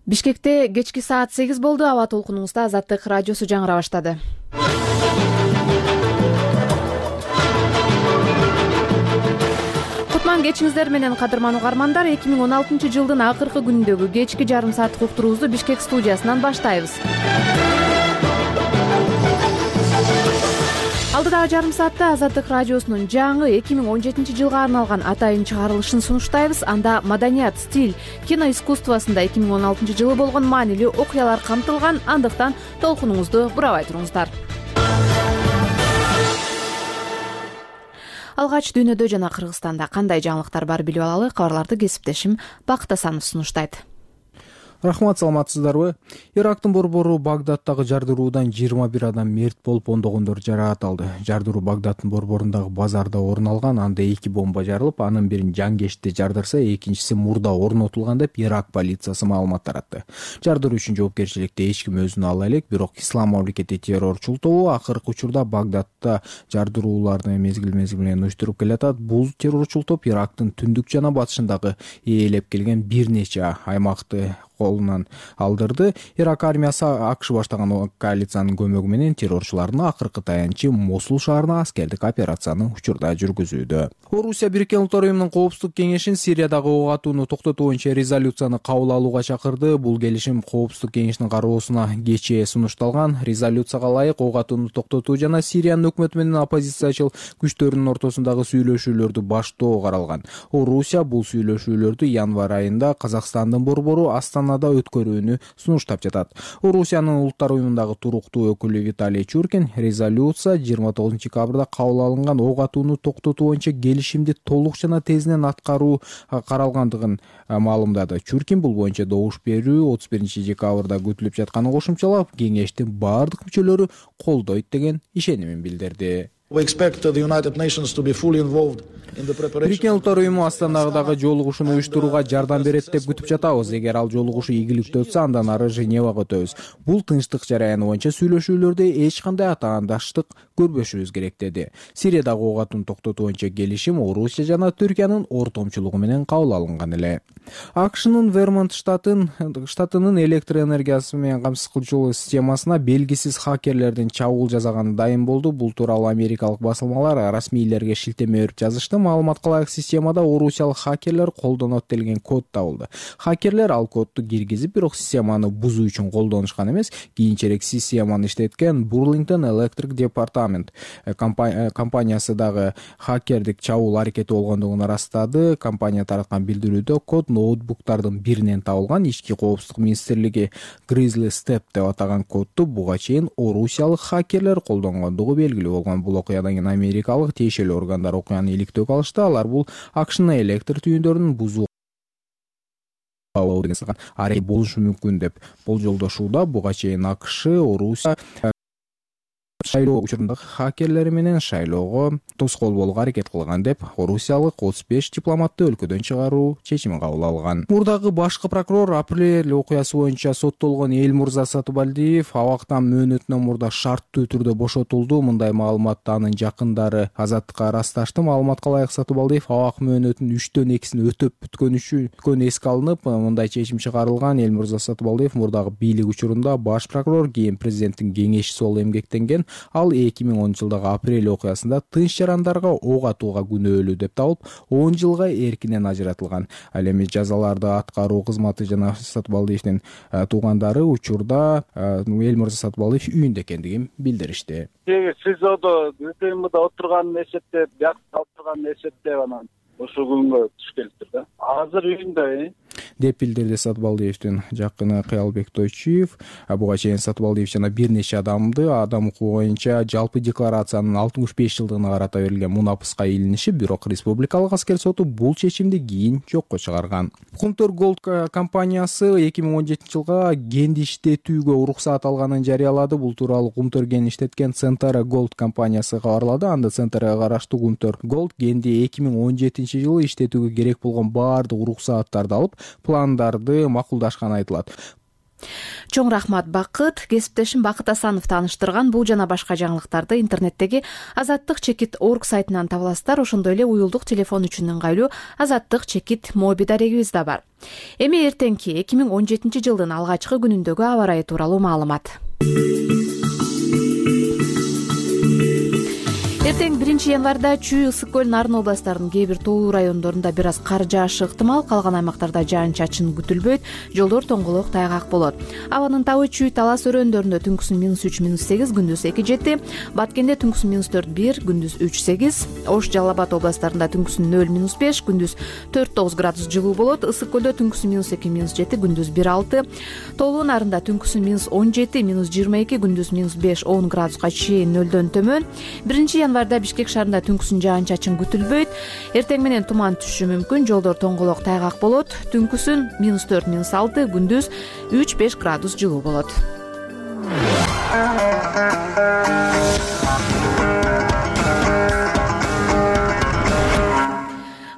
Бишкекте кечки саат 8 болду. Аба толкунуңузда Азаттык радиосу жаңыра баштады. Кутман кечиңиздер менен, кадырман угармандар. 2016 жылдын акыркы күнүндөгү кечки жарым сааттык уктуруубузду Бишкек студиясынан баштайбыз. Алдыдагы жарым саатта Азаттык радиосунун жаңы 2017 жылга арналган атайын чыгарылышын сунуштайбыз. Анда маданият, стиль, кино искусствосунда 2016 жылы болгон маанилүү окуялар камтылган. Андыктан толкунуңузду бурабай туруңуздар. Алгач дүйнөдө жана Кыргызстанда кандай жаңылыктар бар билип алалы. Кабарларды кесиптешим Бакыт Асанов сунуштайт. Рахмат, саламатсыздарбы? Ирактын борбору Багдадтагы жардыруудан 21 адам мерт болуп, ондогондор жараат алды. Жардыруу Багдадтын борборундагы базарда орун алган. Анда 2 бомба жарылып, анын бирин Жангеште жардырса, экинчиси мурда орнотулган деп Ирак полициясы маалымат таратты. Жардыруу үчүн жоопкерчиликти эч ким өзүнө ала элек, бирок Ислам мамлекети террорчул тобу акыркы учурда Багдадта жардырууларды мезгил менен уюштуруп келатат. Бул террорчул топ Ирактын түндүк жана батышындагы ээлеп келген бир нече аймакты колунан алдырды. Ирак армиясы АКШ баштаган коалициянын көмөгү менен террорчулардын акыркы таянычы Мосул шаарына аскердик операцияны учурда жүргүзүүдө. Орусия Бириккен Улуттар уюмунун Коопсуздук кеңешин Сириядагы ок атууну токтотуу боюнча резолюцияны кабыл алууга чакырды. Бул келишим Коопсуздук кеңешинин кароосуна кечээ сунушталган. Резолюцияга ылайык ок атууну токтотуу жана Сириянын өкмөтү менен оппозициячыл күчтөрдүн ортосундагы сүйлөшүүлөрдү баштоо каралган. Орусия бул сүйлөшүүлөрдү январь айында Казакстандын борбору Астанада өткөрүүнү сунуштап жатат. Орусиянын Улуттар уюмундагы туруктуу өкүлү Виталий Чуркин резолюция 29 декабрда кабыл алынган ок атууну токтотуу боюнча келишимди толук жана тезинен аткаруу каралгандыгын маалымдады. Чуркин бул боюнча добуш берүү 31 декабрда күтүлүп жатканын кошумчалап, кеңештин бардык мүчөлөрү колдойт деген ишенимин билдирди. Бириккен Улуттар уюму Астанадагы жолугушууну уюштурууга жардам берет деп күтүп жатабыз. Эгер ал жолугушуу ийгиликтүү өтсө, андан ары Женевага өтөбүз. Бул тынчтык жараяны боюнча сүйлөшүүлөрдө эч кандай атаандаштык көрбөшүбүз керек, деди. Сириядагы ок атууну токтотуу боюнча келишим Орусия жана Түркиянын ортомчулугу менен кабыл алынган эле. АКШнын Вермонт штатынын электр энергиясы менен камсыз кылуучу системасына белгисиз хакерлердин чабуул жасаганы дайым болду. Бул тууралуу америкалык басылмалар расмийлерге шилтеме берип жазышты. Маалыматка ылайык, системада орусиялык хакерлер колдонот делген код табылды. Хакерлер ал кодду киргизип, бирок системаны бузуу үчүн колдонушкан эмес. Кийинчерээк системаны иштеткен Burlington Electric Department компаниясы дагы хакердик чабуул аракети болгондугун ырастады. Компания тараткан билдирүүдө код ноутбуктардын биринен табылган. Ички коопсуздук министрлиги Grizzly Step деп атаган кодду буга чейин орусиялык хакерлер колдонгондугу белгилүү болгон. Бул окуядан кийин америкалык тиешелүү органдар окуяны иликтөөгө алышты. Алар бул АКШнын электр түйүндөрүн бузуу аракет болушу мүмкүн деп болжолдошууда. Буга чейин АКШ Орусия шайлоо учурундагы хакерлери менен шайлоого тоскоол болууга аракет кылган деп орусиялык 35 дипломатты өлкөдөн чыгаруу чечимин кабыл алган. Мурдагы башкы прокурор апрель окуясы боюнча соттолгон Эльмурза Сатыбалдиев абактан мөөнөтүнөн мурда шарттуу түрдө бошотулду. Мындай маалыматты анын жакындары Азаттыкка ырасташты. Маалыматка ылайык, Сатыбалдиев абак мөөнөтүнүн 3/2 өтөп бүткөнү эске алынып, мындай чечим чыгарылган. Эльмурза Сатыбалдиев мурдагы бийлик учурунда баш прокурор, кийин президенттин кеңешчиси болуп эмгектенген. Ал 2010 жылдагы апрель окуясында тынч жарандарга ок атууга күнөөлүү деп табылып, 10 жылга эркинен ажыратылган. Ал эми жазаларды аткаруу кызматы жана Сатыбалдиевдин туугандары учурда Эльмурза Сатыбалдиев үйүндө экендигин билдиришти. СИЗОдо ТМда отурганын эсептеп, бияктап отурганын эсептеп анан ошол күнгө туш келиптир да. Азыр үйүндө деп билдирди Сатыбалдиевдин жакыны Кыялбек Тойчиев. Буга чейин Сатыбалдиев жана бир нече адам укугу боюнча жалпы декларациянын 65 жылдыгына карата берилген мунапыска илиниши, бирок республикалык аскер соту бул чечимди кийин жокко чыгарган. Кумтөр Gold компаниясы 2017 жылга генди иштетүүгө уруксаат алганын жарыялады. Бул тууралуу Кумтөр ген иштеткен Centara Gold компаниясы кабарлады. Анда Centaraга караштуу Кумтөр Gold генди 2017 жылы иштетүүгө керек болгон баардык уруксааттарды алып, пландарды макулдашканы айтылат. Чоң рахмат Бакыт. Кесиптешим Бакыт Асанов тааныштырган бул жана башка жаңылыктарды интернеттеги azattik.org сайтынан таба аласыздар. Ошондой эле уюлдук телефон үчүн ыңгайлуу azattik моби дарегибиз да бар. Эми эртеңки 2017 жылдын алгачкы күнүндөгү аба ырайы тууралуу маалымат. Эртең 1-январда Чүй, Ысык көл, Нарын областарынын кээ бир тоолуу райондорунда бир аз кар жаашы ыктымал, калган аймактарда жаан-чачын күтүлбөйт, жолдор тоңголок, тайгак болот. Абанын табы Чүй, Талас өрөөндөрүндө түнкүсүн -3, -8, күндүз 2-7, Баткенде түнкүсүн -4, күндүз 3-8, Ош, Жалал Абад областарында түнкүсүн 0-5, күндүз 4-9 градус жылуу болот. Ысык көлдө түнкүсүн -2, -7, күндүз 1-6, тоолуу Нарында түнкүсүн -17, -22, күндүз -5-10 градуска чейин нөлдөн төмөн. 1-январда Бишкек шаарында түнкүсүн жаан-чачын күтүлбөйт. Эртең менен туман түшүшү мүмкүн, жолдор тоңголок, тайгак болот. Түнкүсүн -4, -6, күндүз 3-5 градус жылуу болот.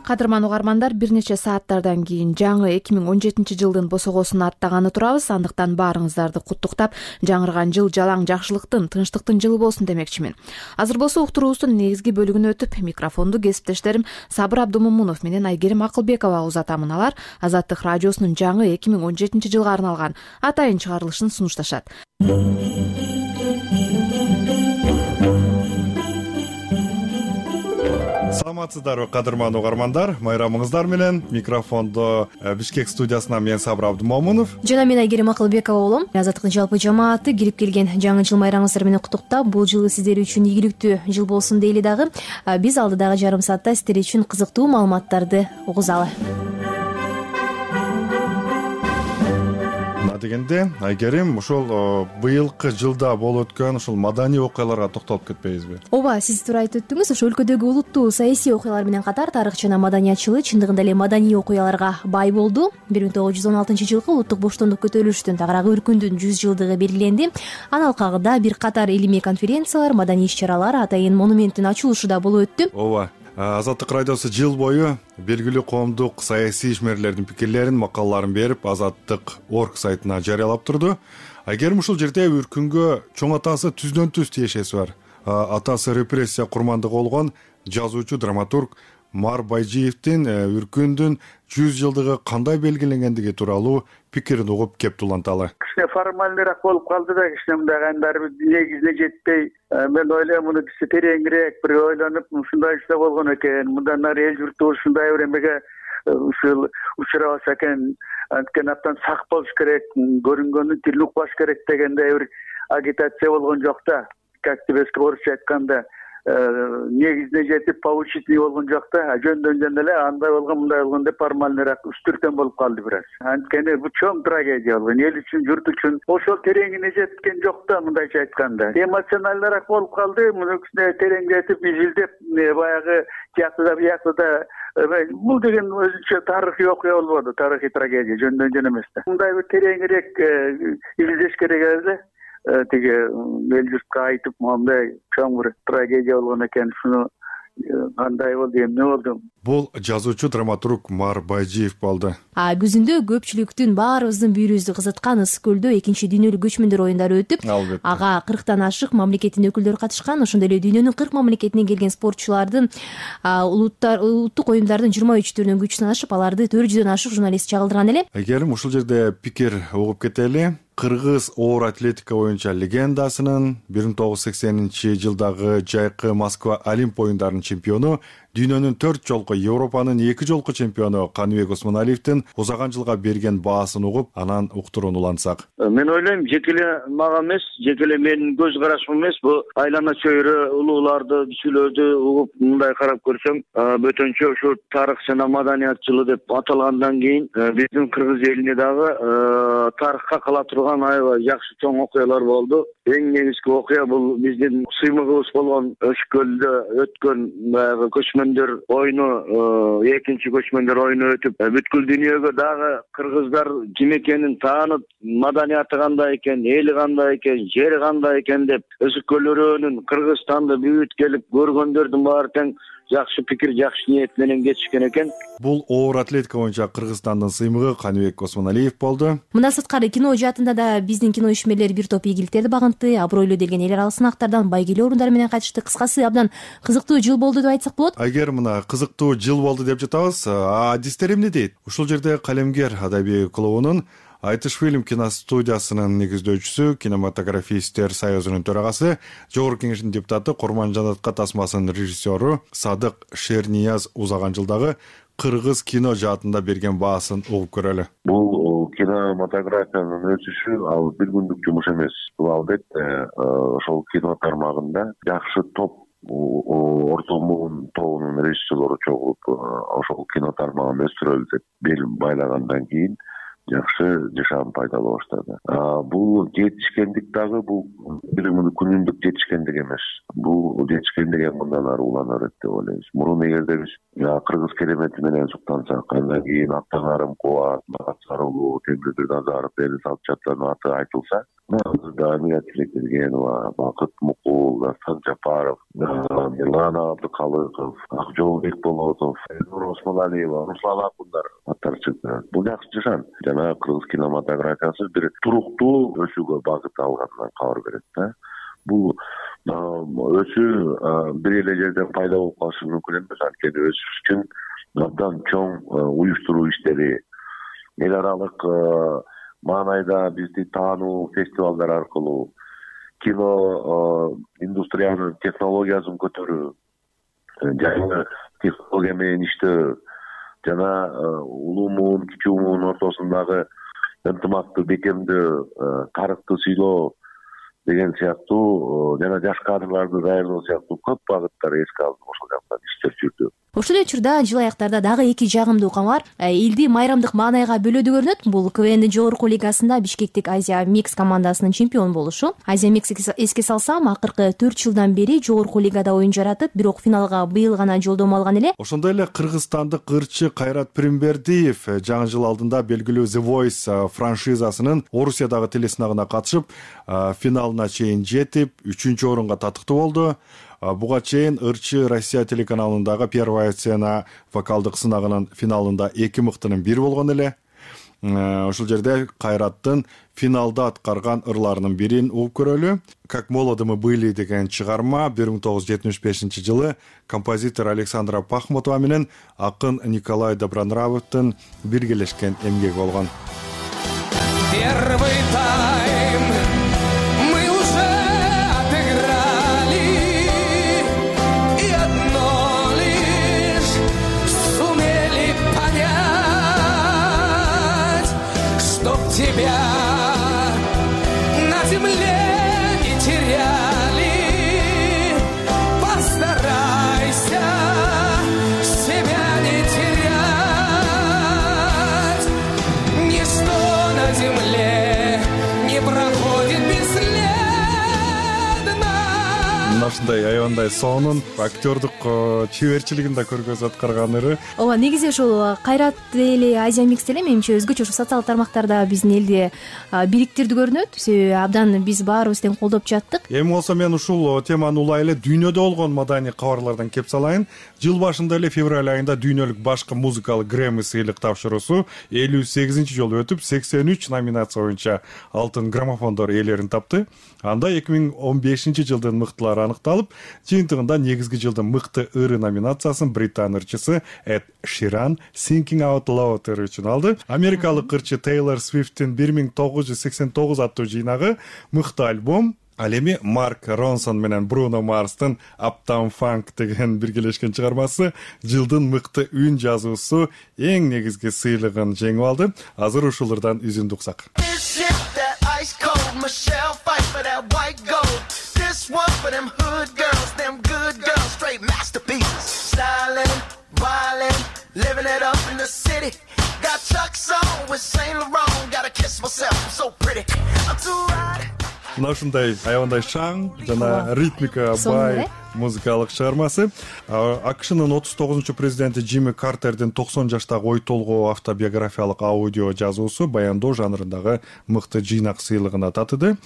Кадырман угармандар, бир нече сааттардан кийин жаңы 2017 жылдын босогосун аттаганы турабыз. Андыктан баарыңыздарды куттуктап, жаңырган жыл жалаң жакшылыктын, тынчтыктын жылы болсун демекчимин. Азыр болсо уктуруубуздун негизги бөлүгүнө өтүп, микрофонду кесиптештерим Сабыр Абдумомунов менен Айгерим Акылбекова узатамын. Алар Азаттык радиосунун жаңы 2017 жылга арналган атайын чыгарылышын сунушташат. Саламатсыздарбы кадырман угармандар, майрамыңыздар менен. Микрофондо Бишкек студиясынан мен Сабыр Абдумомунов жана мен Айгерим Акылбекова болом. Азаттыктын жалпы жамааты кирип келген жаңы жыл майрамыңыздар менен куттуктап, бул жылы сиздер үчүн ийгиликтүү жыл болсун дейли дагы. Биз алдыдагы жарым саатта сиздер үчүн кызыктуу маалыматтарды угузалы. Дегенде, Айгерим, ушул быйылкы жылда болуп өткөн ушул маданий окуяларга токтолуп кетпейбизби? Ооба, сиз туура айтып өттүңүз. Ошо өлкөдөгү улуттуу саясий окуялар менен катар тарых жана маданият жылы чындыгында эле маданий окуяларга бай болду. 1916 жылкы улуттук боштондук көтөрүлүштүн тагыраагы өркүндүн 100 жылдыгы белгиленди. Анын алкагында бир катар илимий конференциялар, маданий иш-чаралар, атайын монументтин ачылышы да болуп өттү. Ооба. Азаттык радиосу жыл бою белгилүү коомдук саясий ишмерлердин пикирлерин, макалаларын берип, azattik.org сайтына жарыялап турду. Айгерим, ушул жерде Үркүнгө чоң атасы түздөн-түз тиешеси бар. Атасы репрессия курмандыгы болгон жазуучу, драматург Мар Байжиевдин Үркүндүн 100 жылдыгы кандай белгиленгендиги тууралуу пикирин угуп кептуланталы. Кичине формальныйраак болуп калды да, кичине мындай кайнар негизине жетпей, мен ойлойм муну кичи тереңирээк бир ойлонуп, ушундай иште болгон экен, мындан ары эл журтубуз ушундай бир эмеге ушул учурабаса экен, анткени абдан сак болуш керек, көрүнгөнүн тилин укпаш керек дегендей бир агитация болгон жок да. Как тебе орусча айтканда, негизине жетип поучительный болгон жок да. Жөндөн эле андай болгон, мындай болгон деп формальныйраак үстүртөн болуп калды бир аз. Анткени бул чоң трагедия болгон, эл үчүн, журт үчүн. Ошол тереңине жеткен жок да, мындайча айтканда. Эмоционалдыраак болуп калды, муну терең жетип, изилдеп, баягы тияктыда бул деген өзүнчө тарыхый окуя болбоду, тарыхый трагедия, жөндөн эмес да. Мындай бир тереңирээк изилдеш керек эле. Тиги эл журтка айтып, мындай чоң бир трагедия болгон экен, шуну кандай болду, эмне болду? Бул жазуучу, драматург Мар Байжиев болду. Күзүндө көпчүлүктүн баарыбыздын бүйүрүбүздү кызыткан Ысык көлдө 2-дүйнөлүк көчмөндөр оюндары өтүп, ага 40тан ашык мамлекеттин өкүлдөрү катышкан. Ошондой эле дүйнөнүн 40 мамлекетинен келген спортчулардын улуттук оюндардын 23 түрүнөн күч сынашып, аларды 400дөн ашык журналист чагылдырган эле. Айгерим, ушул жерде пикир угуп кетели. Кыргыз оор атлетика боюнча легендасынын 1980-жылдагы жайкы Москва Олимп оюндарынын чемпиону, дүйнөнүн 4 жолку, Европанын 2 жолку чемпиону Каныбек Осмоналиевдин узаган жылга берген баасын угуп, анан уктуруун улантсак. Мен ойлойм, жеке эле мага эмес, жеке эле менин көз карашым эмес, бул айлана чөйрө улууларды, кичүүлөрдү угуп мындай карап көрсөң, бөтөнчө ушу тарых жана маданият жылы деп аталгандан кийин биздин кыргыз элине дагы тарыхка кала турган аябай жакшы чоң окуялар болду. Эң негизги окуя бул биздин сыймыгыбыз болгон Өчкөлдө өткөн баягы көчмөндөр оюну, экинчи көчмөндөр оюну өтүп, бүткүл дүйнөгө дагы кыргыздар ким экенин таанып, маданияты кандай экен, эли кандай экен, жери кандай экен деп Ысык көл өрөөнүн Кыргызстанды бүт келип көргөндөрдүн баары тең жакшы пикир, жакшы ниет менен кетишкен экен. Бул оор атлетика боюнча Кыргызстандын сыймыгы Каныбек Осмоналиев болду. Мындан сырткары кино жаатында да биздин кино ишмерлери бир топ ийгиликтерди багынтты, абройлуу делген эл аралык сынактардан байгелүү орундар менен кайтышты. Кыскасы абдан кызыктуу жыл болду деп айтсак болот. Эгер мына кызыктуу жыл болду деп жатабыз, адистер эмне дейт? Ушул жерде Калемгер адабий клубунун Айтыш фильм киностудиясынын негиздөөчүсү, кинематографисттер союзунун төрагасы, жогорку кеңештин депутаты, Курман Жанатка тасмасынын режиссеру Садык Шернияз узаган жылдагы кыргыз кино жаатында берген баасын угуп көрөлү. Бул кинематографиянын өсүшү ал бир күндүк жумуш эмес. Бул албетте ошол кино тармагында жакшы топ орто муун тобунун режиссерлору чогулуп ошол кино тармагын өстүрөлү деп бел байлагандан кийин жакшы жашам пайдалана баштады. Бул жетишкендик дагы бул бир күнүндүк жетишкендик эмес. Бул жетишкендик мындан ары улана берет деп ойлойбуз. Мурун эгерде биз кыргыз керемети менен суктансак, андан кийин Аттанарым Кубат, Сарылуу, Темирбек Назаров, Элис Алчатлардын аты айтылса, азырда Амина Тилекбергенова, Бакыт Мукул, Дастан Жапаров, Мирлан Абдыкалыков, Акжолбек Болотов, Элнур Осмоналиева, Руслан Акундар аттары чыкты. Бул жакшы жашан. Жана кыргыз кинематографиясы бир туруктуу өсүүгө багыт алганынан кабар берет да. Бул өсүү бир эле жерден пайда болуп калышы мүмкүн эмес. Анткени өсүш үчүн абдан чоң уюштуруу иштери, эл аралык маанайда бизди таануу фестивалдар аркылуу, кино индустриянын технологиясын көтөрүү, жаңы технология менен иштөө, жана улуу муун, кичүү муун ортосундагы ынтымакты бекемдөө, тарыхты сыйлоо деген сыяктуу, жана жаш кадрларды даярдоо сыяктуу көп багыттар эске алынып ошол жактан иштер жүрдү. Ошол эле учурда жыл аякта дагы эки жагымдуу кабар элди майрамдык маанайга бөлөдү көрүнөт. Бул КВНдин жогорку лигасында Бишкектик Азия Микс командасынын чемпион болушу. Азия Микс эске салсам, акыркы 4 жылдан бери жогорку лигада оюн жаратып, бирок финалга быйыл гана жолдомо алган эле. Ошондой эле кыргызстандык ырчы Кайрат Пиримбердиев жаңы жыл алдында белгилүү The Voice франшизасынын Орусиядагы телесынагына катышып, финалына чейин жетип, 3-орунга татыктуу болду. Буга чейин ырчы Россия телеканалындагы Первая сцена вокалдык сынагынын финалында 2 мыктынын бири болгон эле. Ошол жерде Кайраттын финалда аткарган ырларынын бирин угуп көрөлү. Как молоды мы были деген чыгарма 1975-жылы композитор Александра Пахмутова менен акын Николай Добронравовдун биргелешкен эмгеги болгон. Первый тайм мы уже отыграли, и одно лишь сумели понять, чтоб тебя на земле не теряли. Постарайся себя не терять, ничто на земле не проходит бесследно. Ушундай аябандай сонун актёрдук чеберчилигин да көргөзүп аткарган ыры. Ооба, негизи ушул Кайрат эле Азия Микс деле менимче өзгөчө ушул социалдык тармактарда биздин элди бириктирди көрүнөт. Себеби абдан биз баарыбыз тең колдоп жаттык. Эми болсо мен ушул теманы улай эле дүйнөдө болгон маданий кабарлардан кеп салайын. Жыл башында эле февраль айында дүйнөлүк башкы музыкалык Грэмми сыйлык тапшыруусу 58-чи жолу өтүп, 83 номинация боюнча алтын граммофондор ээлерин тапты. Анда 2015-жылдын мыктылары аныкталып, жыйынтыгында негизги жылдын мыкты ыры номинациясын британ ырчысы Эд Ширан Singing Out Loud ыры үчүн алды. Америкалык ырчы Тейлор Свифттин 1989 аттуу жыйнагы мыкты альбом. Ал эми Марк Ронсон менен Бруно Марстын Uptown Funk деген биргелешкен чыгармасы жылдын мыкты үн жазуусу эң негизги сыйлыгын жеңип алды. Азыр ушулардан үзүндү уксак. Мына ушундай аябандай шаң жана ритмика бай музыкалык чыгармасы. АКШнын 39 президенти Джимми Картердин 90 жаштагы ой толгоо автобиографиялык аудио жазуусу баяндоо жанрындагы мыкты жыйнак сыйлыгына татыды.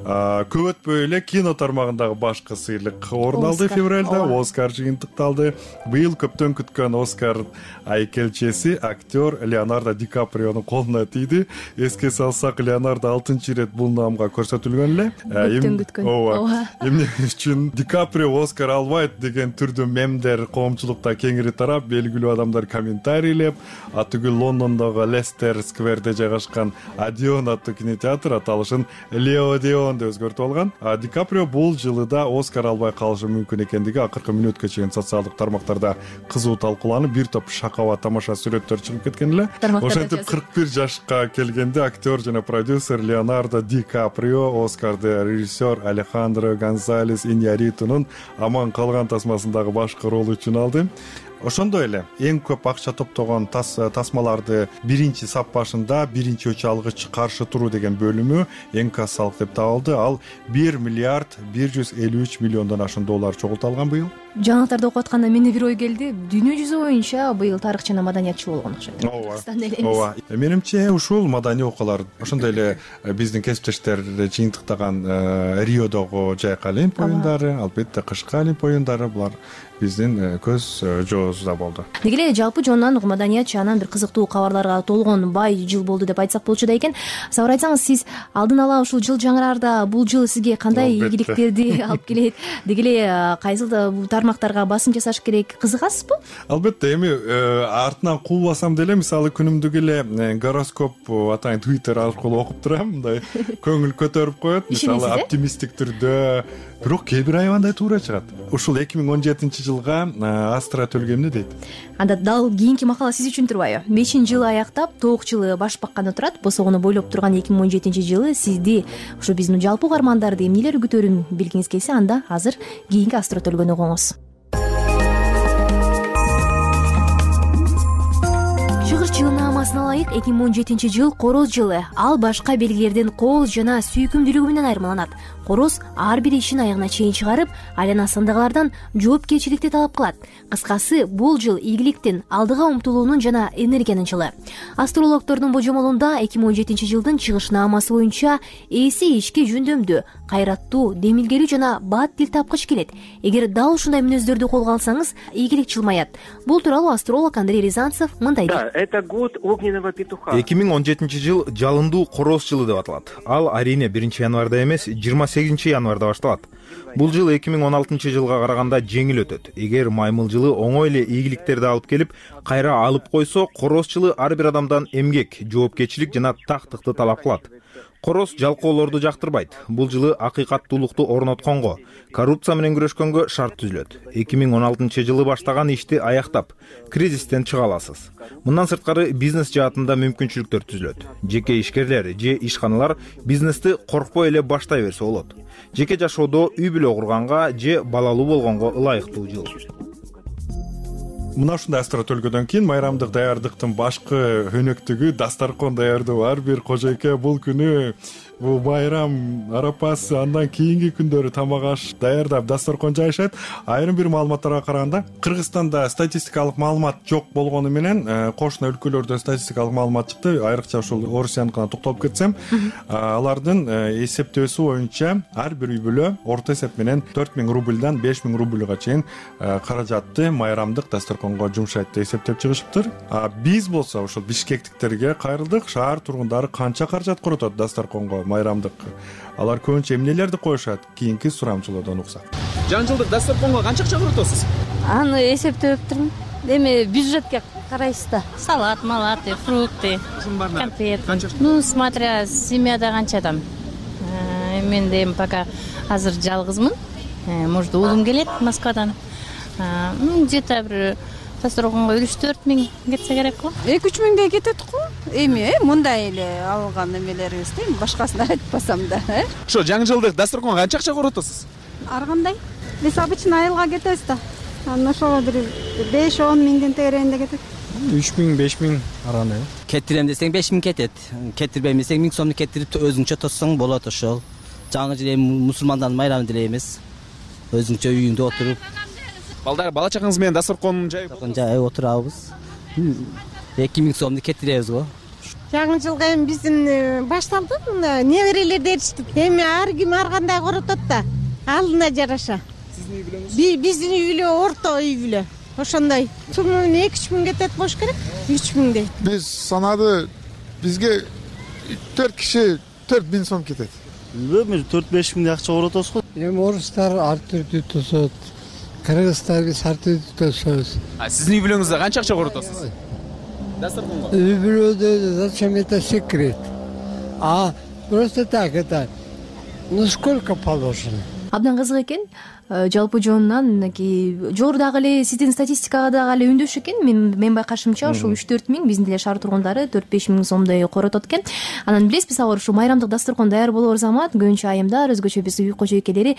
Көп өтпөй эле кино тармагындагы башкы сыйлык орун алды. Февралда Оскар жыйынтыкталды. Быйыл көптөн күткөн Оскар айкелчеси актер Леонардо Ди Каприонун колуна тийди. Эске салсак, Леонардо 6-ирет бул наамга көрсөтүлгөн эле. Көптөн күткөн. Ооба. Эмне үчүн Ди Каприо Оскар албайт деген түрдүү мемдер коомчулукта кеңири тарап, белгилүү адамдар комментарийлеп, атүгүл Лондондогу Лестер скверде жайгашкан Одеон аттуу кинотеатр аталышын Леодеон деп өзгөртүп алган. Ди Каприо бул жылы да Оскар албай калышы мүмкүн экендиги акыркы мүнөткө чейин социалдык тармактарда кызуу талкууланып, бир топ шакаба тамаша сүрөттөр чыгып кеткен эле. Ошентип 41 жашка келгенде актер жана продюсер Леонардо Ди Каприо Оскарды режиссер Алехандро Гонсалес Иньярритунун аман калган тасмасындагы башкы рол үчүн алды. Ошондой эле эң көп акча топтогон тасмаларды биринчи сап башында биринчи өч алгыч каршы туруу деген бөлүмү эң кассалык деп табылды. Ал 1 миллиард 153 миллиондон ашуун доллар чогулталган быйыл. Жаңылыктарды окуп атканда менде бир ой келди. Дүйнө жүзү боюнча быйыл тарых жана маданиятчыл болгон окшойт. Ооба. Менимче ушул маданий окуулар ошондой эле биздин кесиптештер жыйынтыктаган Риодогу жайкы олимп оюндары, албетте кышкы олимп оюндары булар биздин көз жообузда болду. Деги эле жалпы жонунан маданият чаанан бир кызыктуу кабарларга толгон бай жыл болду деп айтсак болчу да экен. Сабыр айтсаңыз, сиз алдын ала ушул жыл жаңыраарда бул жыл сизге кандай ийгиликтерди алып келет? Деги эле кайсыл тармактарга басым жасаш керек, кызыгасызбы? Албетте, эми артынан куулбасам деле, мисалы күнүмдүк эле гороскоп атайын Twitter аркылуу окуп турам, мындай көңүл көтөрүп коет. Мисалы оптимисттик түрдө, бирок кээ бир аябандай туура чыгат. Ушул 2017-жылга Астра Төлгө эмне дейт? Анда дал кийинки макала сиз үчүн турбайбы? 5-жылы аяктап, 9-жылы баш бакканы турат. Босогону бойлоп турган 2017-жылы сизди, ушу биздин жалпы угармандарды эмнелер күтөрүн билгиңиз келсе, анда азыр кийинки Астра Төлгөнү угуңуз. Чыгыш жылына амасына ылайык 2017-жыл короз жылы. Ал башка белгилерден кол жана сүйкүмдүүлүгү менен айырмаланат. Короз ар бир ишин аягына чейин чыгарып, айланасындагылардан жоопкерчиликти талап кылат. Кыскасы, бул жыл ийгиликтин, алдыга умтулуунун жана энергиянын жылы. Астрологдордун божомолунда 2017-жылдын чыгыш наамасы боюнча ээси ишке жөндөмдүү, кайраттуу, демилгелүү жана бат тил тапкыч келет. Эгер дал ушундай мүнөздөрдү колго алсаңыз, ийгилик чылмаят. Бул тууралуу астролог Андрей Рязанцев мындай дейт. Да, это год огненного петуха. 2017-жыл жалындуу короз жылы деп аталат. Ал арине 1-январда эмес, 28-январда башталат. Бул жыл 2016-жылга караганда жеңил өтөт. Эгер маймыл жылы оңой эле ийгиликтерди алып келип, кайра алып койсо, короз жылы ар бир адамдан эмгек, жоопкерчилик жана тактыкты талап кылат. Короз жалкоолорду жактырбайт. Бул жылы акыйкаттуулукту орнотконго, коррупция менен күрөшкөнгө шарт түзүлөт. 2016-жылы баштаган ишти аяктап, кризистен чыга аласыз. Мындан сырткары бизнес жаатында мүмкүнчүлүктөр түзүлөт. Жеке ишкерлер же ишканалар бизнести коркпой эле баштай берсе болот. Жеке жашоодо үй бүлө курганга же балалуу болгонго ылайыктуу жыл. Мына ушундай Астра Төлгөдөн кийин майрамдык даярдыктын башкы өнөктүгү дастаркон даярдоо. Ар бир кожойке бул күнү бул майрам арапасы, андан кийинки күндөрү тамак аш даярдап дастаркон жайышат. Айрым бир маалыматтарга караганда, Кыргызстанда статистикалык маалымат жок болгону менен кошуна өлкөлөрдө статистикалык маалымат чыкты. Айрыкча ушул Орусияныкына токтолуп кетсем, алардын эсептөөсү боюнча ар бир үй бүлө орто эсеп менен 4000 рубльдан 5000 рубльга чейин каражатты майрамдык дастарконго жумшайт деп эсептеп чыгышыптыр. Биз болсо ушул бишкектиктерге кайрылдык. Шаар тургундары канча каражат коротот дастарконго майрамдык? Алар көбүнчө эмнелерди коюшат? Кийинки сурамчылоодон уксак. Жаңы жылдык дастарконго канча акча коротосуз? Аны эсептептирмин. Эми бюджетке карайсыз да. Салат, малаты, фрукты, конфет. Ну, смотря семьяда канча адам. Мен эми пока азыр жалгызмын. Может, уулум келет Москвадан. Где-то бир дастарконго 3-4 миң кетсе керек го. 2-3 миңдей кетет го. Эми мындай эле алган эмелерибизди башкасын айтпасам да. Ошо жаңы жылдык дастарконго канча акча коротосуз? Ар кандай. Биз обычно айылга кетебиз да. Анан ошого бир 5-10 миңдин тегерегинде кетет. 3 миң, 5 миң араны. Кетирем десең 5 миң кетет. Кетирбейм десең 1000 сомду кетирип өзүңчө тоссоң болот ошол. Жаңы жыл эми мусулмандардын майрамы делебиз. өзүңчө үйүңдө отуруп бала чагаңыз менен дасторкон жайып отурабыз. 2000 сомду кетиребиз го. Жаңы жылга эми биздин башталды, мына неберелер эричтик. Эми ар ким ар кандай коротот да, алдына жараша. Сиздин үй бүлөңүз? Биздин үй бүлө орто үй бүлө. Ошондой. Сумму 2-3 миң кетет болуш керек. 3 миңдей. Биз санады бизге 4 киши 4000 сом кетет. Эми 4-5 миңдей акча коротосуз го. Эми орустар ар түрдүү тосот. Кыргызстар биз ар түрдүү тособуз. Сиздин үй бүлөңүздө канча акча коротосуз? Дасторконго. Үй бүлөдө зачем это секрет? Просто так это. Ну сколько положено? Абдан кызык экен. Жалпы жонунан мынакей жогорудагы эле сиздин статистикага дагы эле үндөш экен. Мен байкашымча ушул 3-4 миң биздин деле шаар тургундары 4-5 миң сомдой коротот экен. Анан билесизби сабыр ушул майрамдык дасторкон даяр болор замат көбүнчө айымдар, өзгөчө биз үй кожойкелери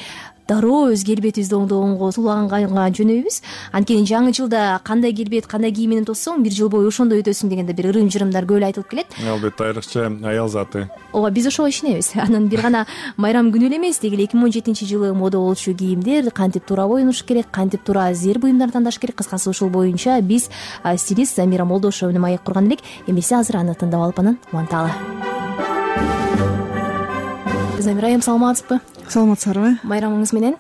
дароо өз келбетибизди оңдогонго сулганганга жөнөйбүз. Анткени жаңы жылда кандай келбет, кандай кийим менен тоссоң, бир жыл бою ошондой өтөсүң дегенде бир ырым-жырымдар көп эле айтылып келет. Албетте, айрыкча аял заты. Ооба, биз ошого ишенебиз. Анан бир гана майрам күнү эле эмес, деги эле 2017-жылы мода болчу кийимдер кантип туура боюнуш керек, кантип туура зер буюмдар тандаш керек. Кыскасы ушул боюнча биз стилист Замира Молдошева менен маек курган элек. Эмесе азыр аны тыңдап алып анан уланталы. Замира айым, саламатсызбы? Саламатсыздарбы? Майрамыңыз менен?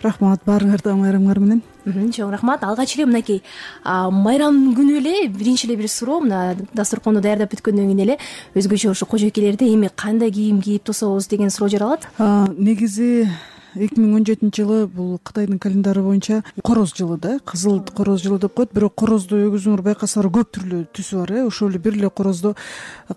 Рахмат, баарыңарда майрамыңар менен. Чоң рахмат. Алгач эле мынакей майрам күнү эле биринчи эле бир суроо, мына дасторконду даярдап бүткөндөн кийин эле өзгөчө ушу кожойкелерде эми кандай кийим кийип тособуз деген суроо жаралат. Негизи 2017-жылы бул Кытайдын календары боюнча короз жылы да, кызыл короз жылы деп коет. Бирок корозду өгүзүңөр байкасаңар көп түрлүү түсү бар, ошол эле бир эле короздо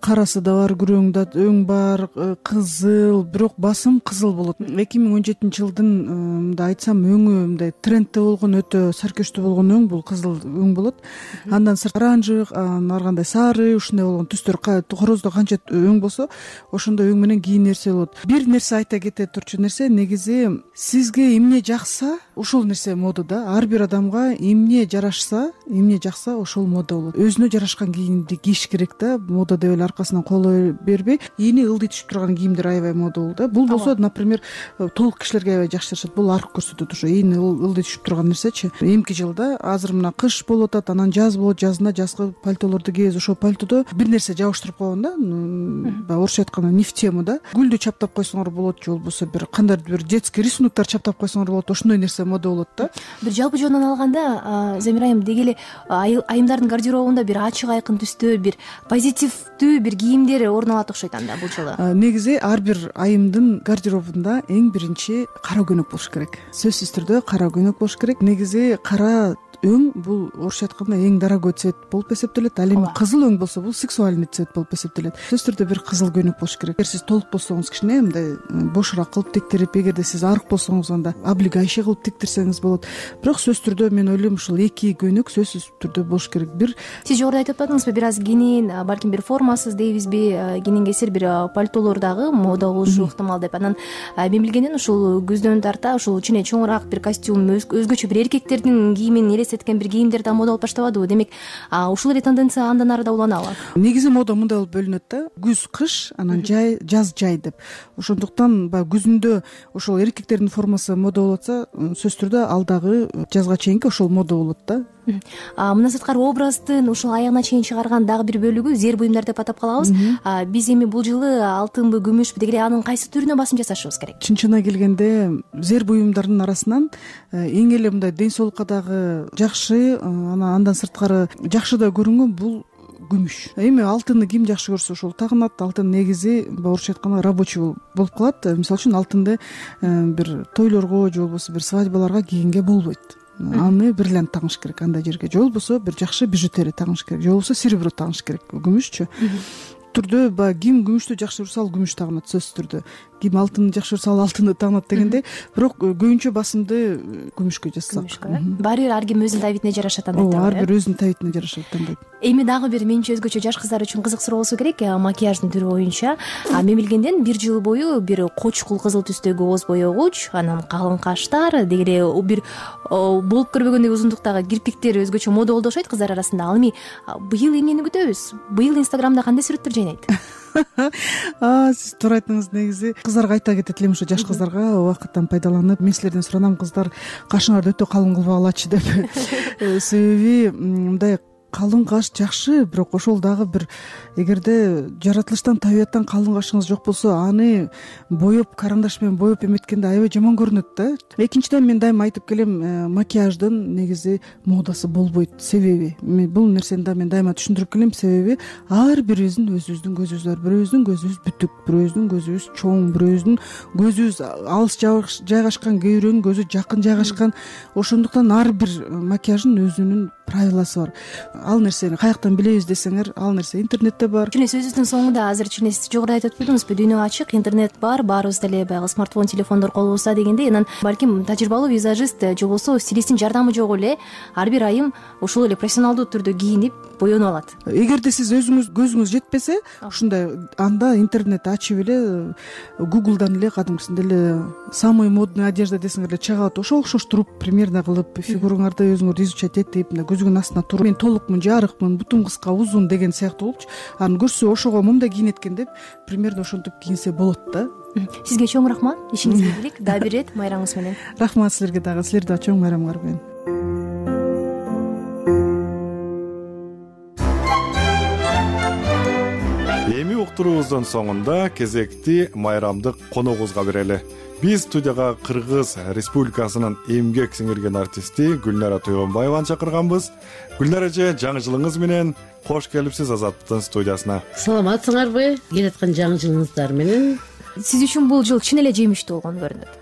карасы да бар, күрөң да, өң бар, кызыл, бирок басым кызыл болот. 2017-жылдын мындай айтсам өңү мындай трендте болгон, өтө саркештүү болгон өң бул кызыл өң болот. Андан сырт оранжевый, ар кандай сары, ушундай болгон түстөр короздо канча өң болсо, ошондой өң менен кийин нерсе болот. Бир нерсе айта кете турчу нерсе, негизи сизге эмне жакса, ошол нерсе мода да. Ар бир адамга эмне жарашса, эмне жакса, ошол мода болот. Өзүнө жарашкан кийимди кийиш керек да. Мода деп эле аркасынан колой бербей, эни ылдый түшүп турган кийимдер аябай мода болду да. Бул болсо, например, толук кишилерге аябай жакшы жарашат. Бул арк көрсөтөт, ошо эни ылдый түшүп турган нерсечи. Эмки жылда азыр мына кыш болуп атат, анан жаз болот, жазында жазгы пальтолорду кийебиз. Ошол пальтодо бир нерсе жабыштырып койгон да. Баягы орусча айтканда не в тему да. Гүлдү чаптап койсоңор болот, же болбосо бир кандайдыр бир рисунуктар чаптап койсоңор болот. Ошондой нерсе мода болот да. Бир жалпы жонунан алганда, Замира айым, деги эле айымдардын гардеробунда бир ачык айкын түстөр, бир позитивдүү бир кийимдер орун алат окшойт анда бул жылы. Негизи ар бир айымдын гардеробунда эң биринчи кара көйнөк болуш керек. Сөзсүз түрдө кара көйнөк болуш керек. Негизи кара өң бул орусча айтканда эң дорогой цвет болуп эсептелет. Ал эми кызыл өң болсо бул сексуальный цвет болуп эсептелет. Сөзсүз түрдө бир кызыл көйнөк болуш керек. Эгер сиз толук болсоңуз, кичине мындай бошураак кылып тиктирип, эгерде сиз арык болсоңуз, анда облегающий кылып тиктирсеңиз болот. Бирок сөзсүз түрдө мен ойлойм ушул эки көйнөк сөзсүз түрдө болуш керек. Бир сиз жогоруда айтып атпадыңызбы, бир аз кенен, балким бир формасыз дейбизби, кенен кесир бир пальтолор дагы мода болушу ыктымал деп. Анан мен билгенден ушул күздөн тарта ушул кичине чоңураак бир костюм, өзгөчө бир эркектердин кийимин элестеткен бир кийимдер мода болуп баштабадыбы? Демек, ушул эле тенденция андан ары да уланабы? Негизи мода мындай болуп бөлүнөт да. Күз кыш, анан жай, жаз жай деп. Ошондуктан баягы күзүндө ошол эркектердин формасы мода болуп атса, сөзсүз түрдө алдагы жазга чейинки ошол мода болот да. Мына сырткары образдын ушул аягына чейин чыгарган дагы бир бөлүгү зер буюмдар деп атап калабыз. Биз эми бул жылы алтынбы, күмүшпү, деги эле анын кайсы түрүнө басым жасашыбыз керек? Чын-чынына келгенде зер буюмдардын арасынан эң эле мындай ден соолукка дагы жакшы, андан сырткары жакшы да көрүнгөн бул күмүш. Эми алтынды ким жакшы көрсө ошол тагынат. Алтын негизи орусча айтканда рабочий болуп калат. Мисалы үчүн алтынды бир тойлорго же болбосо бир свадьбаларга кийгенге болбойт. Аны бриллиант тагыш керек андай жерге, же болбосо бир жакшы бижутерия тагыш керек, же болбосо серебро тагыш керек. Күмүшчү түрдө баягы ким күмүштү жакшы көрсө ал күмүш тагынат, сөзсүз түрдө. Ким алтынды жакшы көрсө ал алтынды тагынат дегендей. Бирок көбүнчө басымды күмүшкө жасасак. Баары бир ар ким өзүнүн табитине жараша тандайт. Ар бир өзүнүн табитине жараша тандайт. Эми дагы бир менче өзгөчө жаш кыздар үчүн кызык суроо болсо керек, макияждын түрү боюнча. Мен билгенден бир жыл бою бир кочкул кызыл түстөгү ооз боегуч, анан калың каштар, деги эле бир болуп көрбөгөндөй узундуктагы кирпиктер өзгөчө мода болду окшойт кыздар арасында. Ал эми быйыл эмнени күтөбүз? Быйыл Инстаграмда кандай сүрөттөр жайнайт? Сиз туура айттыңыз. Негизи кыздарга айта кетет элем, ушу жаш кыздарга убакыттан пайдаланып, мен силерден суранам, кыздар кашыңарды өтө калың кылбагылачы деп. Себеби мындай калың каш жакшы, бирок ошол дагы бир, эгерде жаратылыштан, табияттан калың кашыңыз жок болсо, аны боеп, карандаш менен боеп эметкенде аябай жаман көрүнөт да. Экинчиден, мен дайыма айтып келем, макияждын негизи модасы болбойт. Себеби бул нерсени да мен дайыма түшүндүрүп келем. Себеби ар бирибиздин өзүбүздүн көзүбүз бар. Бирөөбүздүн көзүбүз бүтүк, бирөөбүздүн көзүбүз чоң, бирөөбүздүн көзүбүз алыс жайгашкан, кээ бирөөнүн көзү жакын жайгашкан. Ошондуктан ар бир макияждын өзүнүн правиласы бар. Ал нерсени каяктан билебиз десеңер, ал нерсе интернетте бар. Чүнө сөзүбүздүн соңунда азыр чүнө сиз жогоруда айтып өтпөдүңүзбү? Дүйнө ачык, интернет бар, баарыбыз деле баягы смартфон, телефондор колубузда дегендей, анан балким тажрыйбалуу визажист же болбосо стилисттин жардамы жок эле ар бир айым ушул эле профессионалдуу түрдө кийинип боенуп алат. Эгерде сиз өзүңүз көзүңүз жетпесе, ушундай анда интернет ачып эле Google'дан эле кадимкисинде эле самый модный одежда десеңер эле чыгат. Ошого окшоштуруп примерно кылып, фигураңарды өзүңөр изучать этип, мындай көзүңүн астына туруп, мен толукмун, жарыкмын, бутум кыска, узун деген сыяктуу болупчу. Анан көрсө ошого мындай кийинет экен деп, примерно ошентип кийинсе болот да. Сизге чоң рахмат. Ишиңизге ийгилик. Дагы бир ирет майрамыңыз менен. Рахмат силерге дагы. Силер дагы чоң майрамыңар менен. Эми уктуруубуздун соңунда кезекти майрамдык коногубузга берели. Биз студияга Кыргыз Республикасынын эмгек сиңирген артисти Гүлнара Тойгонбаеваны чакырганбыз. Гүлнара эже, жаңы жылыңыз менен кош келипсиз Азаттыктын студиясына. Саламатсыңарбы? Келаткан жаңы жылыңыздар менен. Сиз үчүн бул жыл чын эле жемиштүү болгон көрүнөт.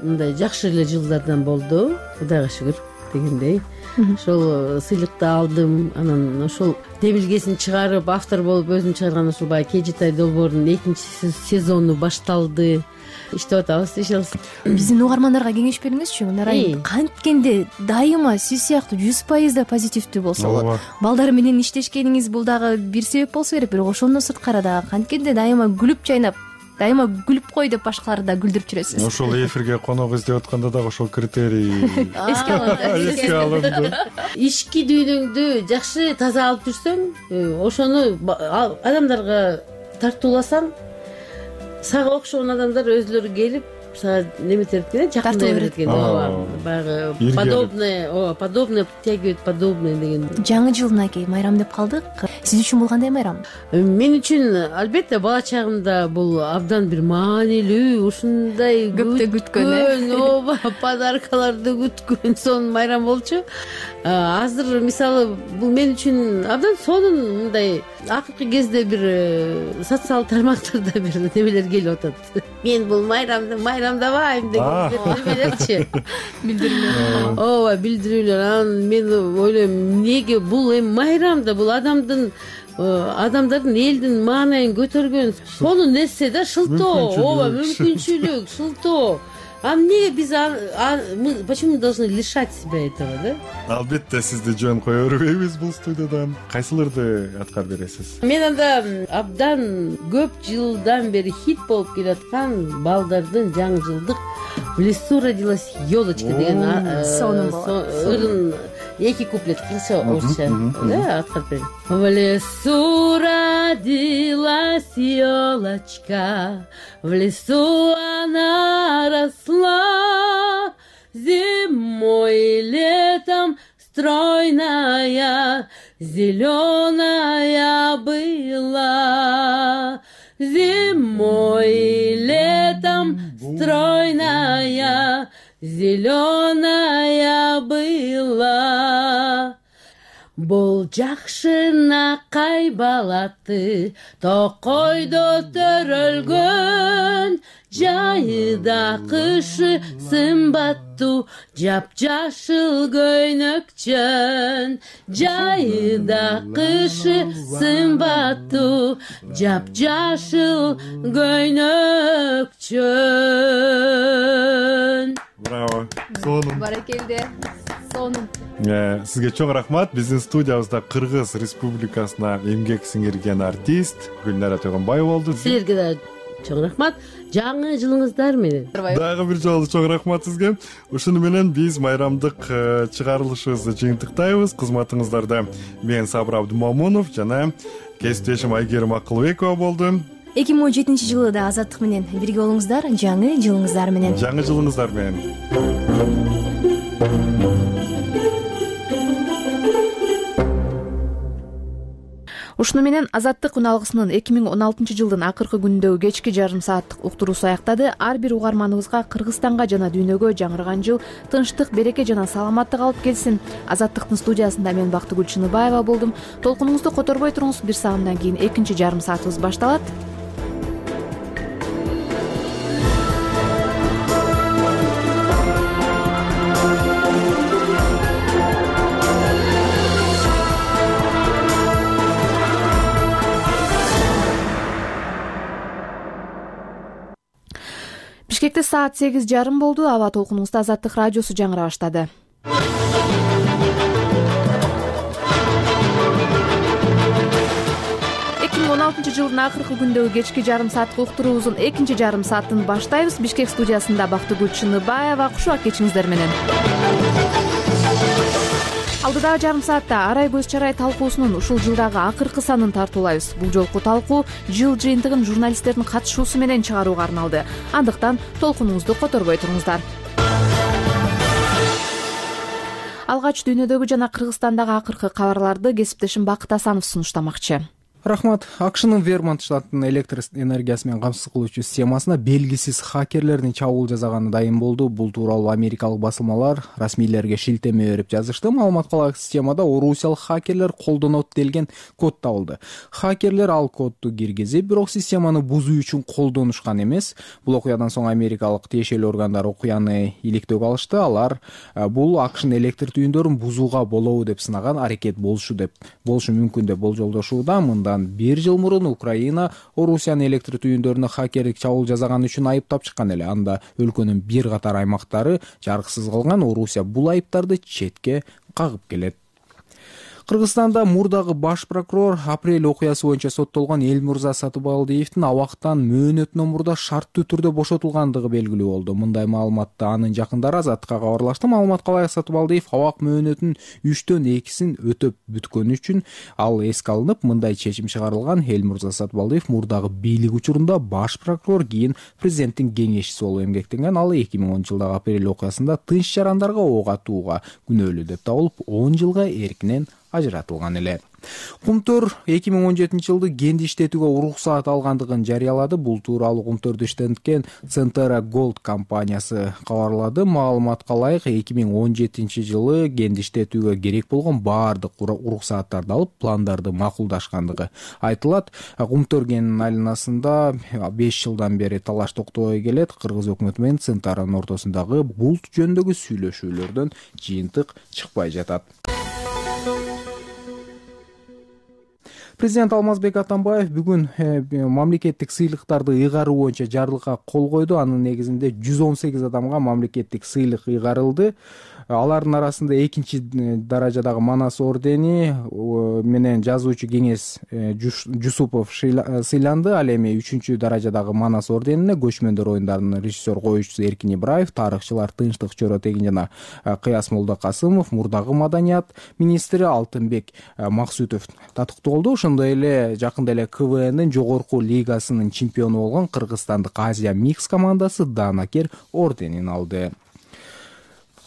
Мындай жакшы эле жылдардан болду, Кудайга шүгүр дегендей. Ошол сыйлыкты алдым, анан ошол демилгесин чыгарып, автор болуп өзүм чыгарган ушул баягы Кежитай долбоорунун 2-сезону башталды. Иштеп атабыз, ишелс. Биздин угармандарга кеңеш бериңизчи, Нарайым. Канткенде дайыма сиз сыяктуу 100% позитивдүү болсо болот. Балдар менен иштешкениңиз бул дагы бир себеп болсо керек, бирок ошондон сырткары дагы канткенде дайыма күлүп жайнап, дайыма күлүп кой деп башкаларды да күлдүрүп жүрөсүз. Ошол эфирге конок издеп атканда дагы ошол критерий эске алынды. Ички дүйнөңдү жакшы таза алып жүрсөң, ошону адамдарга тартууласаң, сага окшогон адамдар өзүлөрү келип, сага неметип экен, жакындай берет экен. Баягы подобное притягивает подобное деген. Жаңы жылнакей майрам деп калдык. Сиз үчүн бул кандай майрам? Мен үчүн албетте бала чагымда бул абдан бир маанилүү, ушундай көптө күткөн, ооба, подаркаларды күткөн сонун майрам болчу. Азыр мисалы бул мен үчүн абдан сонун мындай акыркы кезде бир социал тармактарда бир немелер келип атат. Мен бул майрамдабайм деген немелерчи. Билдирүүлөр. Ооба, билдирүүлөр. Анан мен ойлойм, эмнеге бул эми майрамда бул адамдардын элдин маанайын көтөргөн сонун нерсе да, шылтоо, ооба, мүмкүнчүлүк, шылтоо. А эмнеге биз почему мы должны лишать себя этого, да? Албетте сизди жөн кое бербейбиз бул студиядан. Кайсыларды аткарып бересиз? Мен анда абдан көп жылдан бери хит болуп келаткан балдардын жаңы жылдык «В лесу родилась елочка» деген ырын 2 куплет кыргызча, орусча аткарып берем. В лесу родилась елочка, в лесу она росла, зимой и летом стройная, зеленая была. Зимой и летом стройная, зеленая была. Бул жакшынакай балаты токойдо төрөлгөн, жайыда кышы сымбаттуу жапжашыл көйнөкчөн. Жайыда кышы сымбаттуу жапжашыл көйнөкчөн. Браво. Сонун. Баракелде. Сонун. Сизге чоң рахмат. Биздин студиябызда Кыргыз Республикасына эмгек сиңирген артист Гүлнара Тойгонбаева болду. Силерге да чоң рахмат. Жаңы жылыңыздар менен. Дагы бир жолу чоң рахмат сизге. Ушуну менен биз майрамдык чыгарылышыбызды жыйынтыктайбыз. Кызматыңыздарда мен Сабыр Абдымомунов жана кесиптешим Айгерим Акылбекова болду. 2017 да Азаттык менен бирге болуңуздар. Жаңы жылыңыздар менен. Жаңы жылыңыздар менен. Ушуну менен Азаттык үн алгысынын 2016 жылдын акыркы күнүндөгү кечки жарым сааттык уктуруусу аяктады. Ар бир угарманыбызга Кыргызстанга жана дүйнөгө жаңырган жыл тынчтык, береке жана саламаттык алып келсин. Азаттыктын студиясында мен Бактыгүл Чыныбаева болдум. Толкунуңузду которбой туруңуз. Бир саамдан кийин экинчи жарым саатыбыз башталат. Бишкекте саат 8:30 болду. Аба толкунуңузда Азаттык радиосу жаңыра баштады. 2016 жылдын акыркы күндөгү кечки жарым сааттык уктуруубуздун экинчи жарым саатын баштайбыз. Бишкек студиясында Бактыгүл Чыныбаева. Кушубак кечиңиздер менен. Алдыдагы жарым саатта Арай көз чарай талкуусунун ушул жылдагы акыркы санын тартуулайбыз. Бул жолку талкуу жыл жыйынтыгын журналисттердин катышуусу менен чыгарууга арналды. Андыктан толкунуңузду которбой туруңуздар. Алгач дүйнөдөгү жана Кыргызстандагы акыркы кабарларды кесиптешим Бакыт Асанов сунуштамакчы. Рахмат. АКШнын Вермонт штатынын электр энергиясы менен камсыз кылуучу системасына белгисиз хакерлердин чабуул жасаганы дайым болду. Бул тууралуу америкалык басылмалар расмийлерге шилтеме берип жазышты. Маалыматка ылайык, системада орусиялык хакерлер колдонот делген код табылды. Хакерлер ал кодду киргизип, бирок системаны бузуу үчүн колдонушкан эмес. Бул окуядан соң америкалык тиешелүү органдар окуяны иликтөөгө алышты. Алар бул АКШнын электр түйүндөрүн бузууга болобу деп сынаган аракет болушу мүмкүн деп болжолдошууда. Бир жыл мурун Украина Орусиянын электр түйүндөрүнө хакерлик чабуул жасаганы үчүн айыптап чыккан эле. Анда өлкөнүн бир катар аймактары жарыксыз калган. Орусия бул айыптарды четке кагып келет. Кыргызстанда мурдагы баш прокурор апрель окуясы боюнча соттолгон Элмурза Сатыбалдиевдин абактан мөөнөтүнөн мурда шарттуу түрдө бошотулгандыгы белгилүү болду. Мындай маалыматты анын жакындары Азаттыкка кабарлашты. Маалыматка ылайык, Сатыбалдиев абак мөөнөтүнүн 3/2 өтөп бүткөнү үчүн ал эске алынып, мындай чечим чыгарылган. Элмурза Сатыбалдиев мурдагы бийлик учурунда баш прокурор, кийин президенттин кеңешчиси болуп эмгектенген. Ал 2010 жылдагы апрель окуясында тынч жарандарга ок атууга күнөөлүү деп табылып, 10 жылга эркинен ажыратылган эле. Кумтөр 2017 жылды кенди иштетүүгө уруксаат алгандыгын жарыялады. Бул тууралуу Кумтөрдү иштеткен Centera Gold компаниясы кабарлады. Маалыматка ылайык, 2017 жылы кенди иштетүүгө керек болгон баардык уруксааттарды алып, пландарды макулдашкандыгы айтылат. Кумтөр кенинин айланасында 5 жылдан бери талаш токтобой келет. Кыргыз өкмөтү менен Центаранын ортосундагы бул жөнүндөгү сүйлөшүүлөрдөн жыйынтык чыкпай жатат. Президент Алмазбек Атамбаев бүгүн мамлекеттик сыйлыктарды ыйгаруу боюнча жарлыкка кол койду. Анын негизинде 118 адамга мамлекеттик сыйлык ыйгарылды. Алардын арасында экинчи даражадагы Манас ордени менен жазуучу Кеңес Жусупов сыйланды. Ал эми 3-чү даражадагы Манас орденине көчмөндөр оюндарынын режиссер коюучусу Эркин Ибраев, тарыхчылар Тынчтык Чоротегин жана Кыяс Молдокасымов, мурдагы маданият министри Алтынбек Максутов татыктуу болду. Ошондой эле жакында эле КВНдин жогорку лигасынын чемпиону болгон кыргызстандык Азия Микс командасы Данакер орденин алды.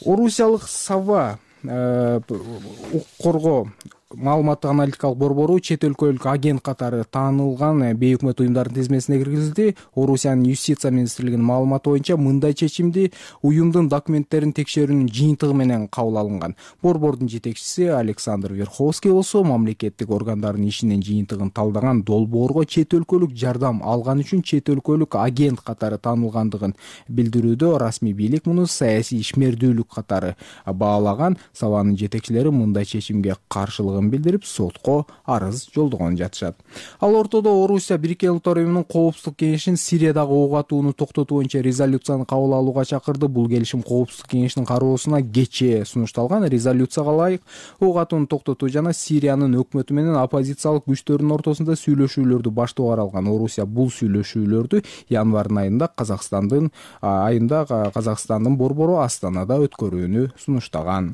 Орусиялык Сава укук коргоо маалыматтык аналитикалык борбору чет өлкөлүк агент катары таанылган бейөкмөт уюмдардын тизмесине киргизилди. Орусиянын юстиция министрлигинин маалыматы боюнча мындай чечимди уюмдун документтерин текшерүүнүн жыйынтыгы менен кабыл алынган. Борбордун жетекчиси Александр Верховский болсо, мамлекеттик органдардын ишинин жыйынтыгын талдаган долбоорго чет өлкөлүк жардам алган үчүн чет өлкөлүк агент катары таанылгандыгын билдирүүдө расмий бийлик муну саясий ишмердүүлүк катары баалаган. Саванын жетекчилери мындай чечимге каршылыгын билдирип, сотко арыз жолдогон жатышат. Ал ортодо Орусия Бириккен Улуттар уюмунун Коопсуздук кеңешинин Сириядагы ок атууну токтотуу боюнча резолюцияны кабыл алууга чакырды. Бул келишим Коопсуздук кеңешинин кароосуна кечээ сунушталган. Резолюцияга ылайык, ок атууну токтотуу жана Сириянын өкмөтү менен оппозициялык күчтөрдүн ортосунда сүйлөшүүлөрдү баштоо каралган. Орусия бул сүйлөшүүлөрдү январдын айында Казакстандын борбору Астанада өткөрүүнү сунуштаган.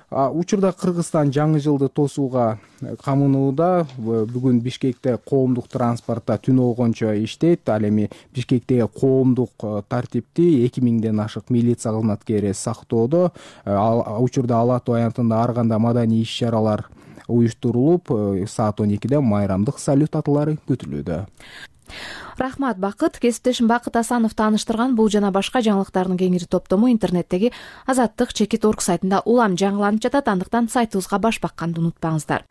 Учурда Кыргызстан жаңы жылды тосууга камынууда. Бүгүн Бишкекте коомдук транспортта түн огончо иштейт. Ал эми Бишкектеги коомдук тартипти 2000ден ашык милиция кызматкери сактоодо. Учурда Ала Ата аянтында ар кандай маданий иш-чаралар уюштурулуп, саат 12де майрамдык салют атылары күтүлүүдө. Рахмат, Бакыт. Кесиптешим Бакыт Асанов тааныштырган бул жана башка жаңылыктардын кеңири топтому интернеттеги Азаттык /орг сайтында улам жаңыланып жатат. Андыктан сайтыбызга баш бакканды унутпаңыздар.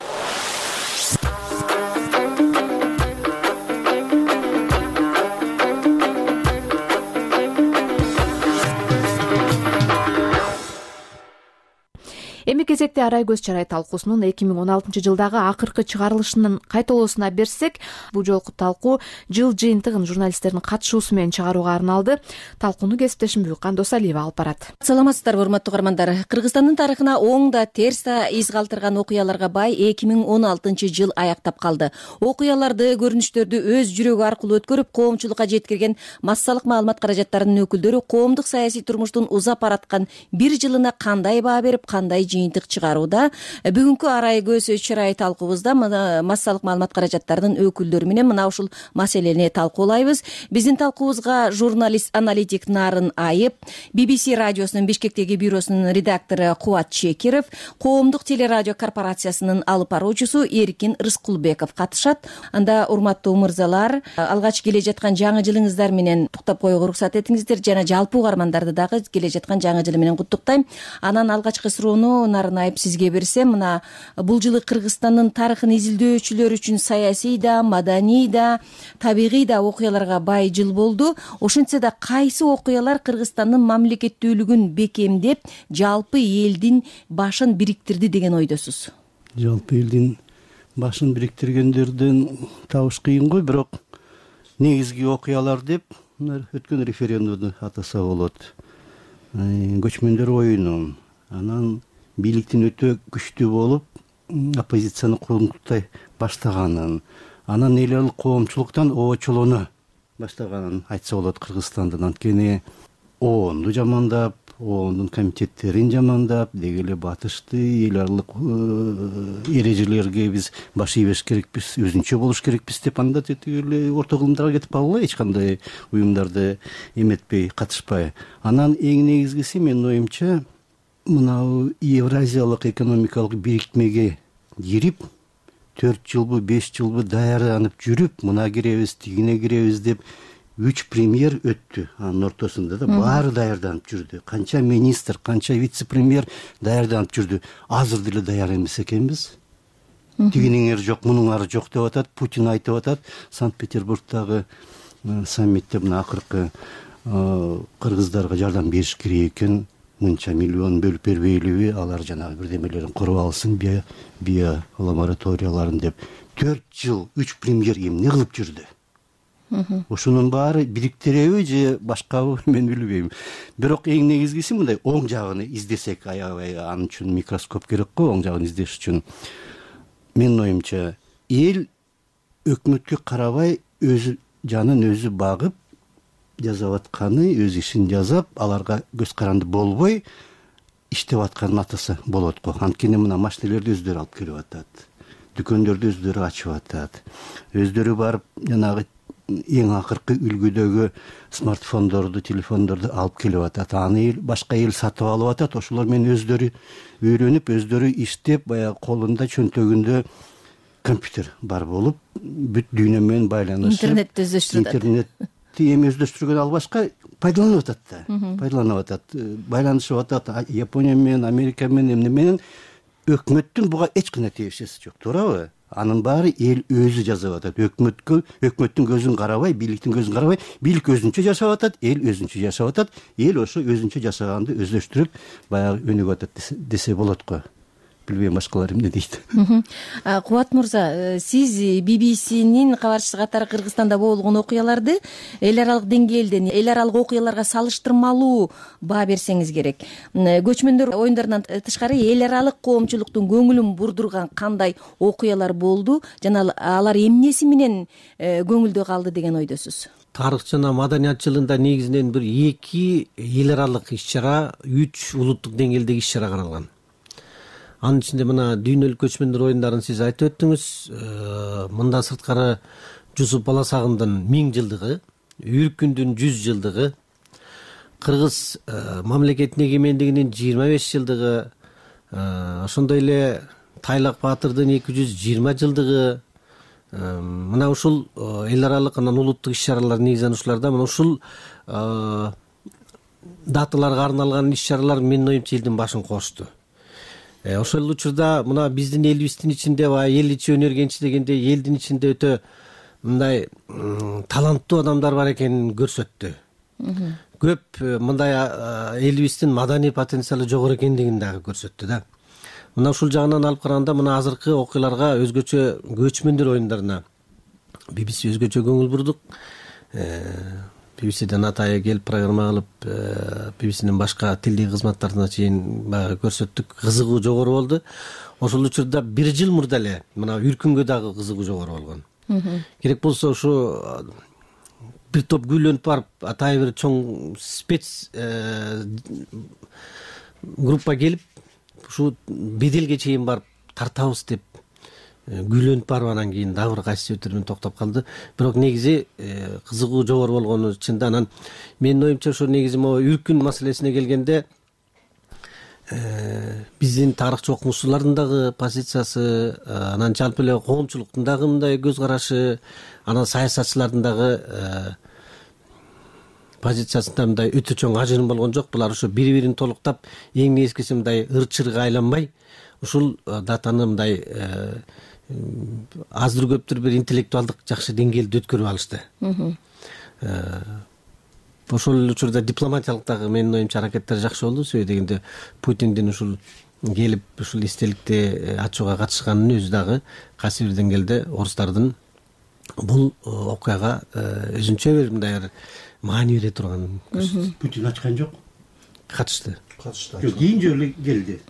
Эми кезекте Арай көз чарай талкуусунун 2016-жылдагы акыркы чыгарылышынын кайталоосуна берсек, бул жолку талкуу жыл жыйынтыгын журналисттердин катышуусу менен чыгарууга арналды. Талкууну кесиптешим Буйкан Досалиева алып барат. Саламатсыздарбы, урматтуу угармандар. Кыргызстандын тарыхына оң да терс да из калтырган окуяларга бай 2016-жыл аяктап калды. Окуяларды, көрүнүштөрдү өз жүрөгү аркылуу өткөрүп, коомчулукка жеткирген массалык маалымат каражаттарынын өкүлдөрү коомдук саясий турмуштун узап бараткан бир жылына кандай баа берип, кандай жыйынтык чыгарууда. Бүгүнкү Арай көз чарай талкуубузда массалык маалымат каражаттарынын өкүлдөрү менен мына ушул маселени талкуулайбыз. Биздин талкуубузга журналист-аналитик Нарын Айып, BBC радиосунун Бишкектеги бюросунун редактору Кубат Чекиров, коомдук телерадио корпорациясынын алып баруучусу Эркин Рыскулбеков катышат. Анда, урматтуу мырзалар, алгач келе жаткан жаңы жылыңыздар менен туктап коюуга уруксат этиңиздер, жана жалпы угармандарды дагы келе жаткан жаңы жылы менен куттуктайм. Анан алгачкы суроону Нарын Айып сизге берсем, мына бул жылы Кыргызстандын тарыхын изилдөөчүлөр үчүн саясий да, маданий да, табигый да окуяларга бай жыл болду. Ошентсе да кайсы окуялар Кыргызстандын мамлекеттүүлүгүн бекемдеп, жалпы элдин башын бириктирди деген ойдосуз? Жалпы элдин башын бириктиргендерден табыш кыйын го, бирок негизги окуялар деп өткөн референдумду атаса болот. Көчмөндөр оюну, анан бийликтин өтө күчтүү болуп, оппозицияны курултай баштаганын, анан эл аралык коомчулуктан оочолоно баштаганын айтса болот Кыргызстандын. Анткени ООНду жамандап, ООНдун комитеттерин жамандап, деги эле батышты эл аралык эрежелерге биз баш ийбеш керекпиз, өзүнчө болуш керекпиз деп, анда теги эле орто кылымдарга кетип калгыла, эч кандай уюмдарды эметпей, катышпай. Анан эң негизгиси, менин оюмча, мынау Евразиялык экономикалык бириктмеге кирип, 4 жылбы, 5 жылбы даярданып жүрүп, мына киребиз, тигине киребиз деп 3 премьер өттү. Анын ортосунда да баары даярданып жүрдү. Канча министр, канча вице-премьер даярданып жүрдү. Азыр деле даяр эмес экенбиз. Тигинин ары жок, мунун ары жок деп атат. Путин айтып атат, Санкт-Петербургдагы саммитте мына акыркы кыргыздарга жардам бериш керек экен. Мынча миллион бөлүп бербейлиби, алар жанагы бирдемелерин куруп алсын, био лабораторияларын деп. 4 жыл 3 премьер эмне кылып жүрдү? Ошонун баары бириктиреби же башкабы, мен билбейм. Бирок эң негизгиси мындай оң жагын издесек, аябай анын үчүн микроскоп керек го, оң жагын издеш үчүн. Менин оюмча, эл өкмөткө карабай өз жанын өзү багып, жасап атканы, өз ишин жасап, аларга көз каранды болбой иштеп атканын атаса болот го. Анткени мына машинелерди өздөрү алып келип атат, дүкөндөрдү өздөрү ачып атат, өздөрү барып жанагы эң акыркы үлгүдөгү смартфондорду, телефондорду алып келип атат. Аны башка эл сатып алып атат. Ошолор менен өздөрү үйрөнүп, өздөрү иштеп, баягы колунда, чөнтөгүндө компьютер бар болуп, бүт дүйнө менен байланышып, интернетти өздөштүрүп атат. Эми өздөштүргөн ал башка пайдаланып атат да. Пайдаланып атат, байланышып атат Япония менен, Америка менен, эмне менен. Өкмөттүн буга эч кандай тиешеси жок, туурабы? Анын баары эл өзү жасап атат. Өкмөттүн көзүн карабай, бийликтин көзүн карабай, бийлик өзүнчө жашап атат, эл өзүнчө жашап атат. Эл ошо өзүнчө жашаганды өздөштүрүп, баягы өнүгүп атат десе болот го. Билбейм башкалар эмне дейт. Кубат мырза, сиз BBC'нин кабарчысы катары Кыргызстанда болгон окуяларды эл аралык деңгээлден, эл аралык окуяларга салыштырмалуу баа берсеңиз керек. Көчмөндөр оюндарынан тышкары эл аралык коомчулуктун көңүлүн бурдурган кандай окуялар болду жана алар эмнеси менен көңүлдө калды деген ойдосуз? Тарых жана маданият жылында негизинен бир 2 эл аралык иш-чара, 3 улуттук деңгээлдеги иш-чара каралган. Анын ичинде мына дүйнөлүк көчмөндөр оюндарын сиз айтып өттүңүз. Мындан сырткары Жусуп Баласагындын 1000 жылдыгы, Үркүндүн 100 жылдыгы, Кыргыз мамлекетинин эгемендигинин 25 жылдыгы, ошондой эле Тайлак Баатырдын 220 жылдыгы, мына ушул эл аралык анан улуттук иш-чаралар негизинен ушуларда мына ушул даталарга арналган иш-чаралар менин оюмча элдин башын кошту. Ошол учурда мына биздин элибиздин ичинде баягы эл ичи өнөр кенчи дегенде элдин ичинде өтө мындай таланттуу адамдар бар экенин көрсөттү. Көп мындай элибиздин маданий потенциалы жогору экендигин дагы көрсөттү да. Мына ушул жагынан алып караганда мына азыркы окуяларга өзгөчө көчмөндөр оюндарына BBC өзгөчө көңүл бурдук. BBCден атайы келип программа кылып, BBCнин башка тилдик кызматтарына чейин баягы көрсөттүк. Кызыгуу жогору болду. Ошол учурда 1 жыл мурда эле мына Үркүнгө дагы кызыгуу жогору болгон. Керек болсо ушу бир топ күйлөнүп барып, атайы бир чоң спец группа келип, ушу беделге чейин барып тартабыз деп күйлөнүп барып анан кийин дагы бир кайсы себептерден токтоп калды. Бирок негизи кызыгуу жогору болгону чында. Анан менин оюмча ошо негизи могу Үркүн маселесине келгенде биздин тарыхчы окумуштуулардын дагы позициясы, анан жалпы эле коомчулуктун дагы мындай көз карашы, анан саясатчылардын дагы позициясында мындай өтө чоң ажырым болгон жок. Булар ошо бири-бирин толуктап, эң негизгиси мындай ыр-чырга айланбай, ушул датаны мындай аздыр-көптүр бир интеллектуалдык жакшы деңгээлде өткөрүп алышты. Ошол учурда дипломатиялык дагы менин оюмча аракеттер жакшы болду. Себеби дегенде Путиндин ушул келип ушул эстеликти ачууга катышканын өзү дагы кайсы бир деңгээлде орустардын бул окуяга өзүнчө бир мындай маани бере турганын көрсөттү. Путин ачкан жок. Катышты. Жок, кийин жолу келди.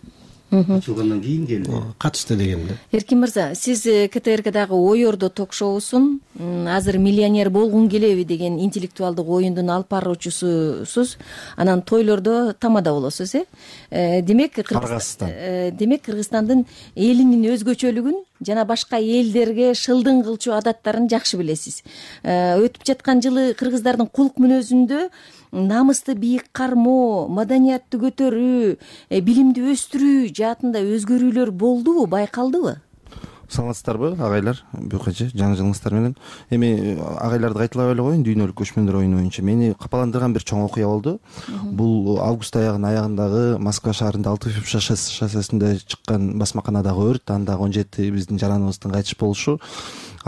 Ачылгандан кийин келди. Катышты дегенде. Эркин мырза, сиз КТРКдагы Ой Ордо ток-шоусун азыр миллионер болгуң келеби деген интеллектуалдык оюндун алып баруучусусуз. Анан тойлордо тамада болосуз, Демек Кыргызстандын элинин өзгөчөлүгүн жана башка элдерге шылдың кылчу адаттарын жакшы билесиз. Өтүп жаткан жылы кыргыздардын кулк мүнөзүндө намысты бийик кармоо, маданиятты көтөрүү, билимди өстүрүү жаатында өзгөрүүлөр болдубу, байкалдыбы? Саламатсыздарбы агайлар, бүйкачы жаңы жылыңыздар менен. Эми агайларды кайталап эле коеюн, дүйнөлүк көчмөндөр оюну боюнча мени капаландырган бир чоң окуя болду. Бул август аягынын аягындагы Москва шаарында Алтыфьев шоссесинде чыккан басмаканадагы өрт, анда 17 биздин жараныбыздын кайтыш болушу.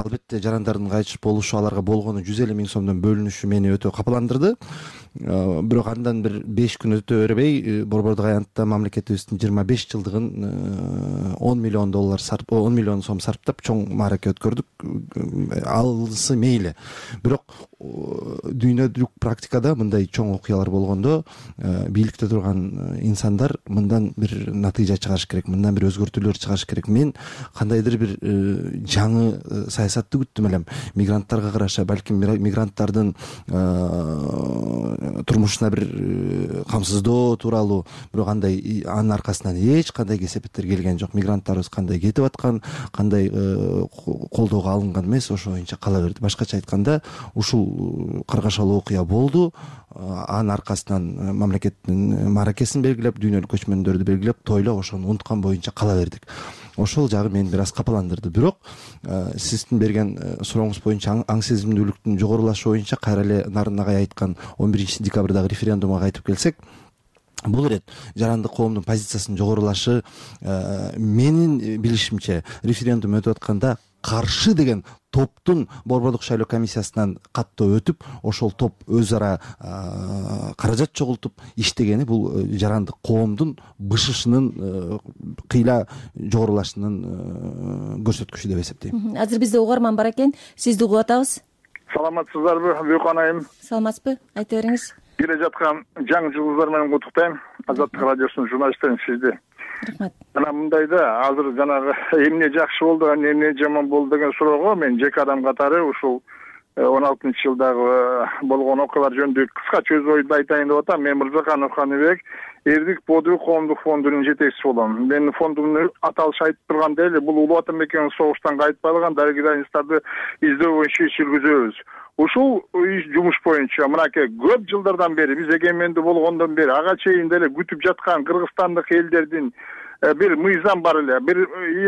Албетте жарандардын кайтыш болушу, аларга болгону 150 000 сомдон бөлүнүшү мени өтө капаландырды. Бирок андан бир 5 күн өтө бербей Борбордук аянтта мамлекетибиздин 25 жылдыгын $10 миллион сом сарптап чоң маараке өткөрдүк. Алысы мейли. Бирок дүйнөлүк практикада мындай чоң окуялар болгондо бийликте турган инсандар мындан бир натыйжа чыгарыш керек, мындан бир өзгөртүүлөр чыгарыш керек. Мен кандайдыр бир жаңы саясатты күттүм элем. Мигранттарга караша, балким мигранттардын турмушуна бир камсыздоо тууралуу, бирок андай анын аркасынан эч кандай кесепеттер келген жок. Мигранттарыбыз кандай кетип аткан, кандай колдоого алынган эмес, ошо боюнча кала берди. Башкача айтканда, ушул каргашалуу окуя болду. Анын аркасынан мамлекеттин мааракесин белгилеп, дүйнөлүк көчмөндөрдү белгилеп, тойлоп, ошону унуткан боюнча кала бердик. Ошол жагы мени бир аз капаландырды. Бирок сиздин берген сурооңуз боюнча аң сезимдүүлүктүн жогорулашы боюнча кайра эле Нарын агай айткан 11 декабрдагы референдумга кайтып келсек, бул ирет жарандык коомдун позициясынын жогорулашы, менин билишимче референдум өтүп атканда каршы деген топтун Борбордук шайлоо комиссиясынан каттоо өтүп, ошол топ өз ара каражат чогултуп иштегени бул жарандык коомдун бышышынын кыйла жогорулашынын көрсөткүчү деп эсептейм. Азыр бизде угарман бар экен, сизди угуп атабыз. Саламатсыздарбы, Бүйкөн айым? Саламатсызбы? Айта бериңиз. Келе жаткан жаңы жылыңыздар менен куттуктайм. Азаттык радиосунун журналисттерин сизди. Рахмат. Мына мындайда азыр жанагы эмне жакшы болду, эмне жаман болду деген суроого мен жеке адам катары ушул жылдагы болгон окуялар жөнүндө кыскача өз оюмду айтайын деп атам. Мен Мырзаканов Каныбек, Эрдик Подуй коомдук фондунун жетекчиси болом. Менин фондумдун аталышы айтып тургандай эле, бул Улуу Ватан мекенин согуштан кайтпаган дарыгидайныстарды издөө боюнча иш жүргүзөбүз. Ушул жумуш боюнча мынакей көп жылдардан бери, биз эгемендүү болгондон бери ага чейин деле күтүп жаткан кыргызстандык элдердин бир мыйзам бар эле. Бир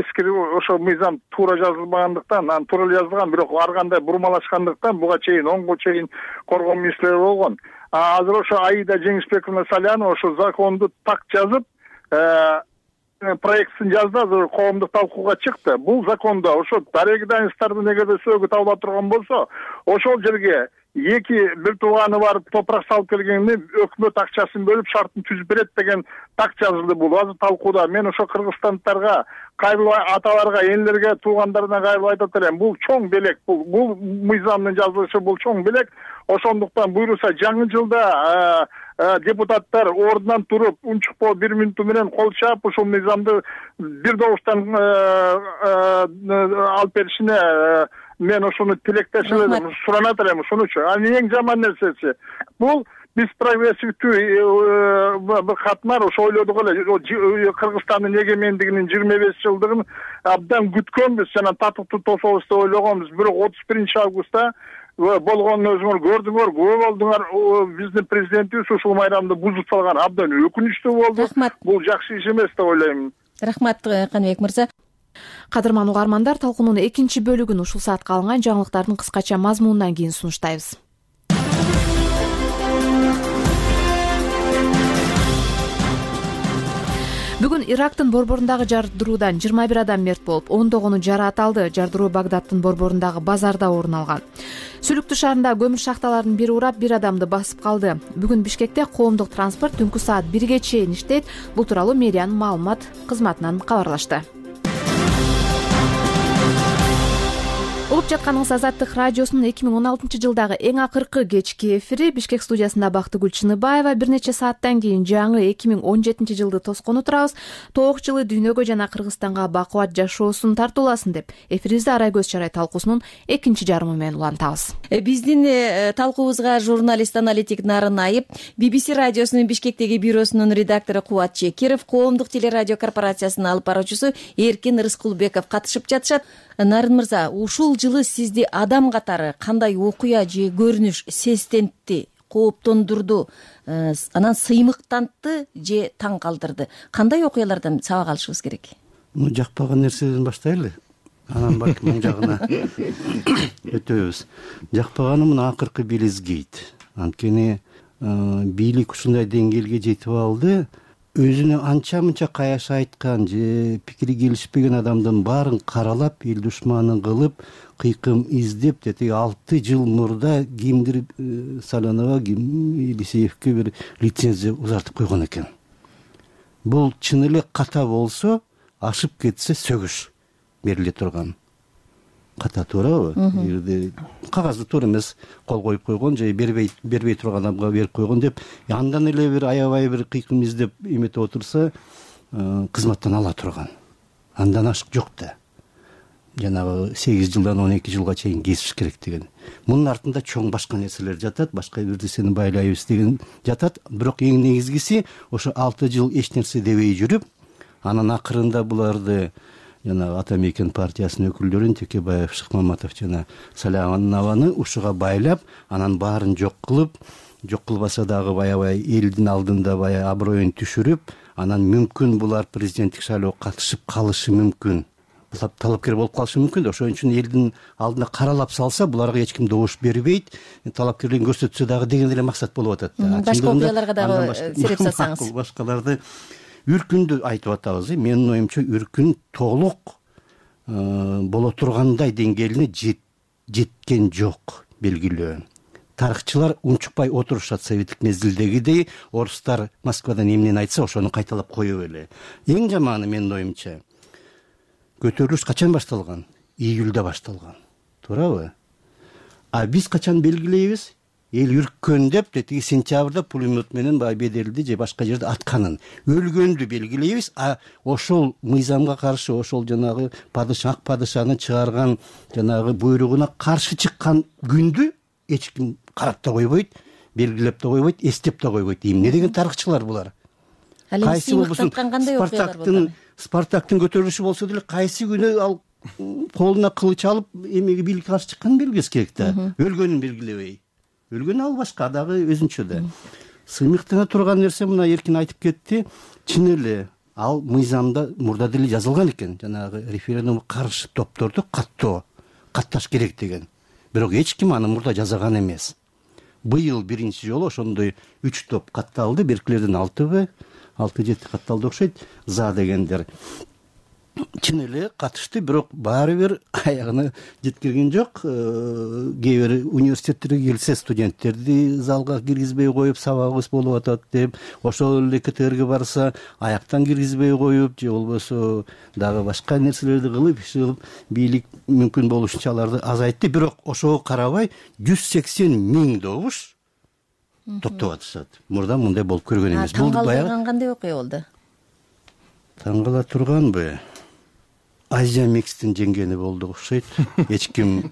эски ошол мыйзам туура жазылбагандыктан, анан туура эле жазылган, бирок ар кандай бурмалашкандыктан буга чейин 10 чейин коргоо министрлери болгон. Азыр ошо Аида Жеңишбековна Салянова ошо законду так жазып, проектин жазды, азыр коомдук талкууга чыкты. Бул закондо ошо дарыгидайныстарды эгерде сөөгү табыла турган болсо, ошол жерге бир тууганы барып топурак салып келгенде өкмөт акчасын бөлүп шартын түзүп берет деген так жазылды. Бул азыр талкууда. Мен ошо кыргызстандыктарга, кайрылбай аталарга, энелерге, туугандарына кайрылып айтат элем. Бул чоң белек, бул мыйзамдын жазылышы, бул чоң белек. Ошондуктан буйруса жаңы жылда депутаттар ордунан туруп, унчукпоо 1 мүнөтү менен кол чаап, ушул мыйзамды бир добуштан алып беришине мен ошону тилектешип элем, суранат элем ушунучу. Анын эң жаман нерсеси бул биз прогрессивдүү бир катмар ошо ойлодук эле. Кыргызстандын эгемендигинин 25 жылдыгын абдан күткөнбүз, жана татыктуу тособуз деп ойлогонбуз. Бирок 31 августта болгонун өзүңөр көрдүңөр, күбө болдуңар. Биздин президентибиз ушул майрамды бузуп салган абдан өкүнүчтүү болду. Бул жакшы иш эмес деп ойлойм. Рахмат Каныбек мырза. Кадырман угармандар, талкуунун экинчи бөлүгүн ушул саатка алынган жаңылыктардын кыскача мазмунунан кийин сунуштайбыз. Бүгүн Ирактын борборундагы жардыруудан 21 адам мерт болуп, ондогону жараат алды. Жардыруу Багдадтын борборундагы базарда орун алган. Сүлүктүү шаарында көмүр шахталарынын бири урап, бир адамды басып калды. Бүгүн Бишкекте коомдук транспорт түнкү саат 1ге чейин иштейт. Бул тууралуу мэриянын маалымат кызматынан кабарлашты. Угуп жатканыңыз Азаттык радиосунун 2016 жылдагы эң акыркы кечки эфири. Бишкек студиясында Бактыгүл Чыныбаева. Бир нече сааттан кийин жаңы 2017 жылды тоскону турабыз. Тоок жылы дүйнөгө жана Кыргызстанга бакубат жашоосун тартууласын деп, эфирибизди Арай көз чарай талкуусунун экинчи жарымы менен улантабыз. Биздин талкуубузга журналист аналитик Нарын Айып, BBC радиосунун Бишкектеги бюросунун редактору Кубат Чекиров, коомдук телерадио корпорациясынын алып баруучусу Эркин Рыскулбеков катышып жатышат. Нарын мырза, ушул жылы сизди адам катары кандай окуя же көрүнүш сестентти, кооптондурду, анан сыймыктантты же таң калтырды? Кандай окуялардан сабак алышыбыз керек? Жакпаган нерседен баштайлы, анан балким оң жагына өтөбүз. Жакпаганы мына акыркы Белизгейт. Анткени бийлик ушундай деңгээлге жетип алды. Өзүнө анча-мынча каяша айткан же пикири келишпеген адамдын баарын каралап, эл душманын кылып, кыйкым издеп, дети 6 жыл мурда кимдир Салянова, Елисеевке бир лицензия узартып койгон экен. Бул чын эле ката болсо, ашып кетсе сөгүш бериле турган. Ката туурабы? Кагазды туура эмес кол коюп койгон же бербей турган адамга берип койгон деп, андан эле бир аябай бир кыйкым издеп эметип отурса, кызматтан ала турган. Андан ашык жок да. Жанагы 8 жылдан 12 жылга чейин кесиш керек деген. Мунун артында чоң башка нерселер жатат, башка бир нерсени байлайбыз деген жатат. Бирок эң негизгиси ошо 6 жыл эч нерсе дебей жүрүп, анан акырында буларды жана Ата мекен партиясынын өкүлдөрүн Текебаев, Шыкмаматов жана Салянованы ушуга байлап, анан баарын жок кылбаса дагы аябай элдин алдында бая аброюн түшүрүп, анан мүмкүн булар президенттик шайлоого катышып калышы мүмкүн. Талапкер болуп калышы мүмкүн. Ошон үчүн элдин алдына каралап салса, буларга эч ким добуш бербейт. Талапкерлигин көрсөтсө дагы деген эле максат болуп атат. Башка окуяларга дагы сереп салсаңыз. Башкаларды үркүндү айтып атабыз. Менин оюмча үркүн толук боло тургандай деңгээлине жеткен жок, белгилүү. Тарыхчылар унчукпай отурушат советтик мезгилдегидей, орустар Москвадан эмнени айтса, ошону кайталап коюп эле. Эң жаманы менин оюмча көтөрүлүш качан башталган? Июлда башталган. Туурабы? А биз качан белгилейбиз? эл үрккөн деп тиги сентябрда пулемет менен баягы Бедерилди же башка жерде атканын, өлгөндү белгилейбиз. Ошол мыйзамга каршы, ошол жанагы ак падышаны чыгарган жанагы буйругуна каршы чыккан күндү эч ким карап да койбойт, белгилеп да койбойт, эстеп да койбойт. Эмне деген тарыхчылар булар? Кайсы болбосун Спартактын көтөрүлүшү болсо деле кайсы күнү ал колуна кылыч алып эмеге бийликке каршы чыкканын белгилес керек да. Өлгөнүн белгилебей. Өлгөн ал башка, дагы өзүнчө да. Сыймыктана турган нерсе мына Эркин айтып кетти. Чын эле ал мыйзамда мурда деле жазылган экен. Жанагы референдумга каршы топторду катташ керек деген. Бирок эч ким аны мурда жазаган эмес. Быйыл биринчи жолу ошондой 3 топ катталды. Беркилерден 6-7 катталды окшойт. За дегендер чын эле катышты, бирок баары бир аягына жеткирген жок. Кээ бир университеттерге келсе студенттерди залга киргизбей коюп, сабагыбыз болуп атат деп, ошол эле КТРге барса аяктан киргизбей коюп, же болбосо дагы башка нерселерди кылып, бийлик мүмкүн болушунча аларды азайтты. Бирок ошого карабай 180 000 добуш топтоп атышат. Мурда мындай болуп көргөн эмес. Бул баягы кандай окуя болду? Таң кала турганбы? Азия Микстин жеңгени болду окшойт. Эч ким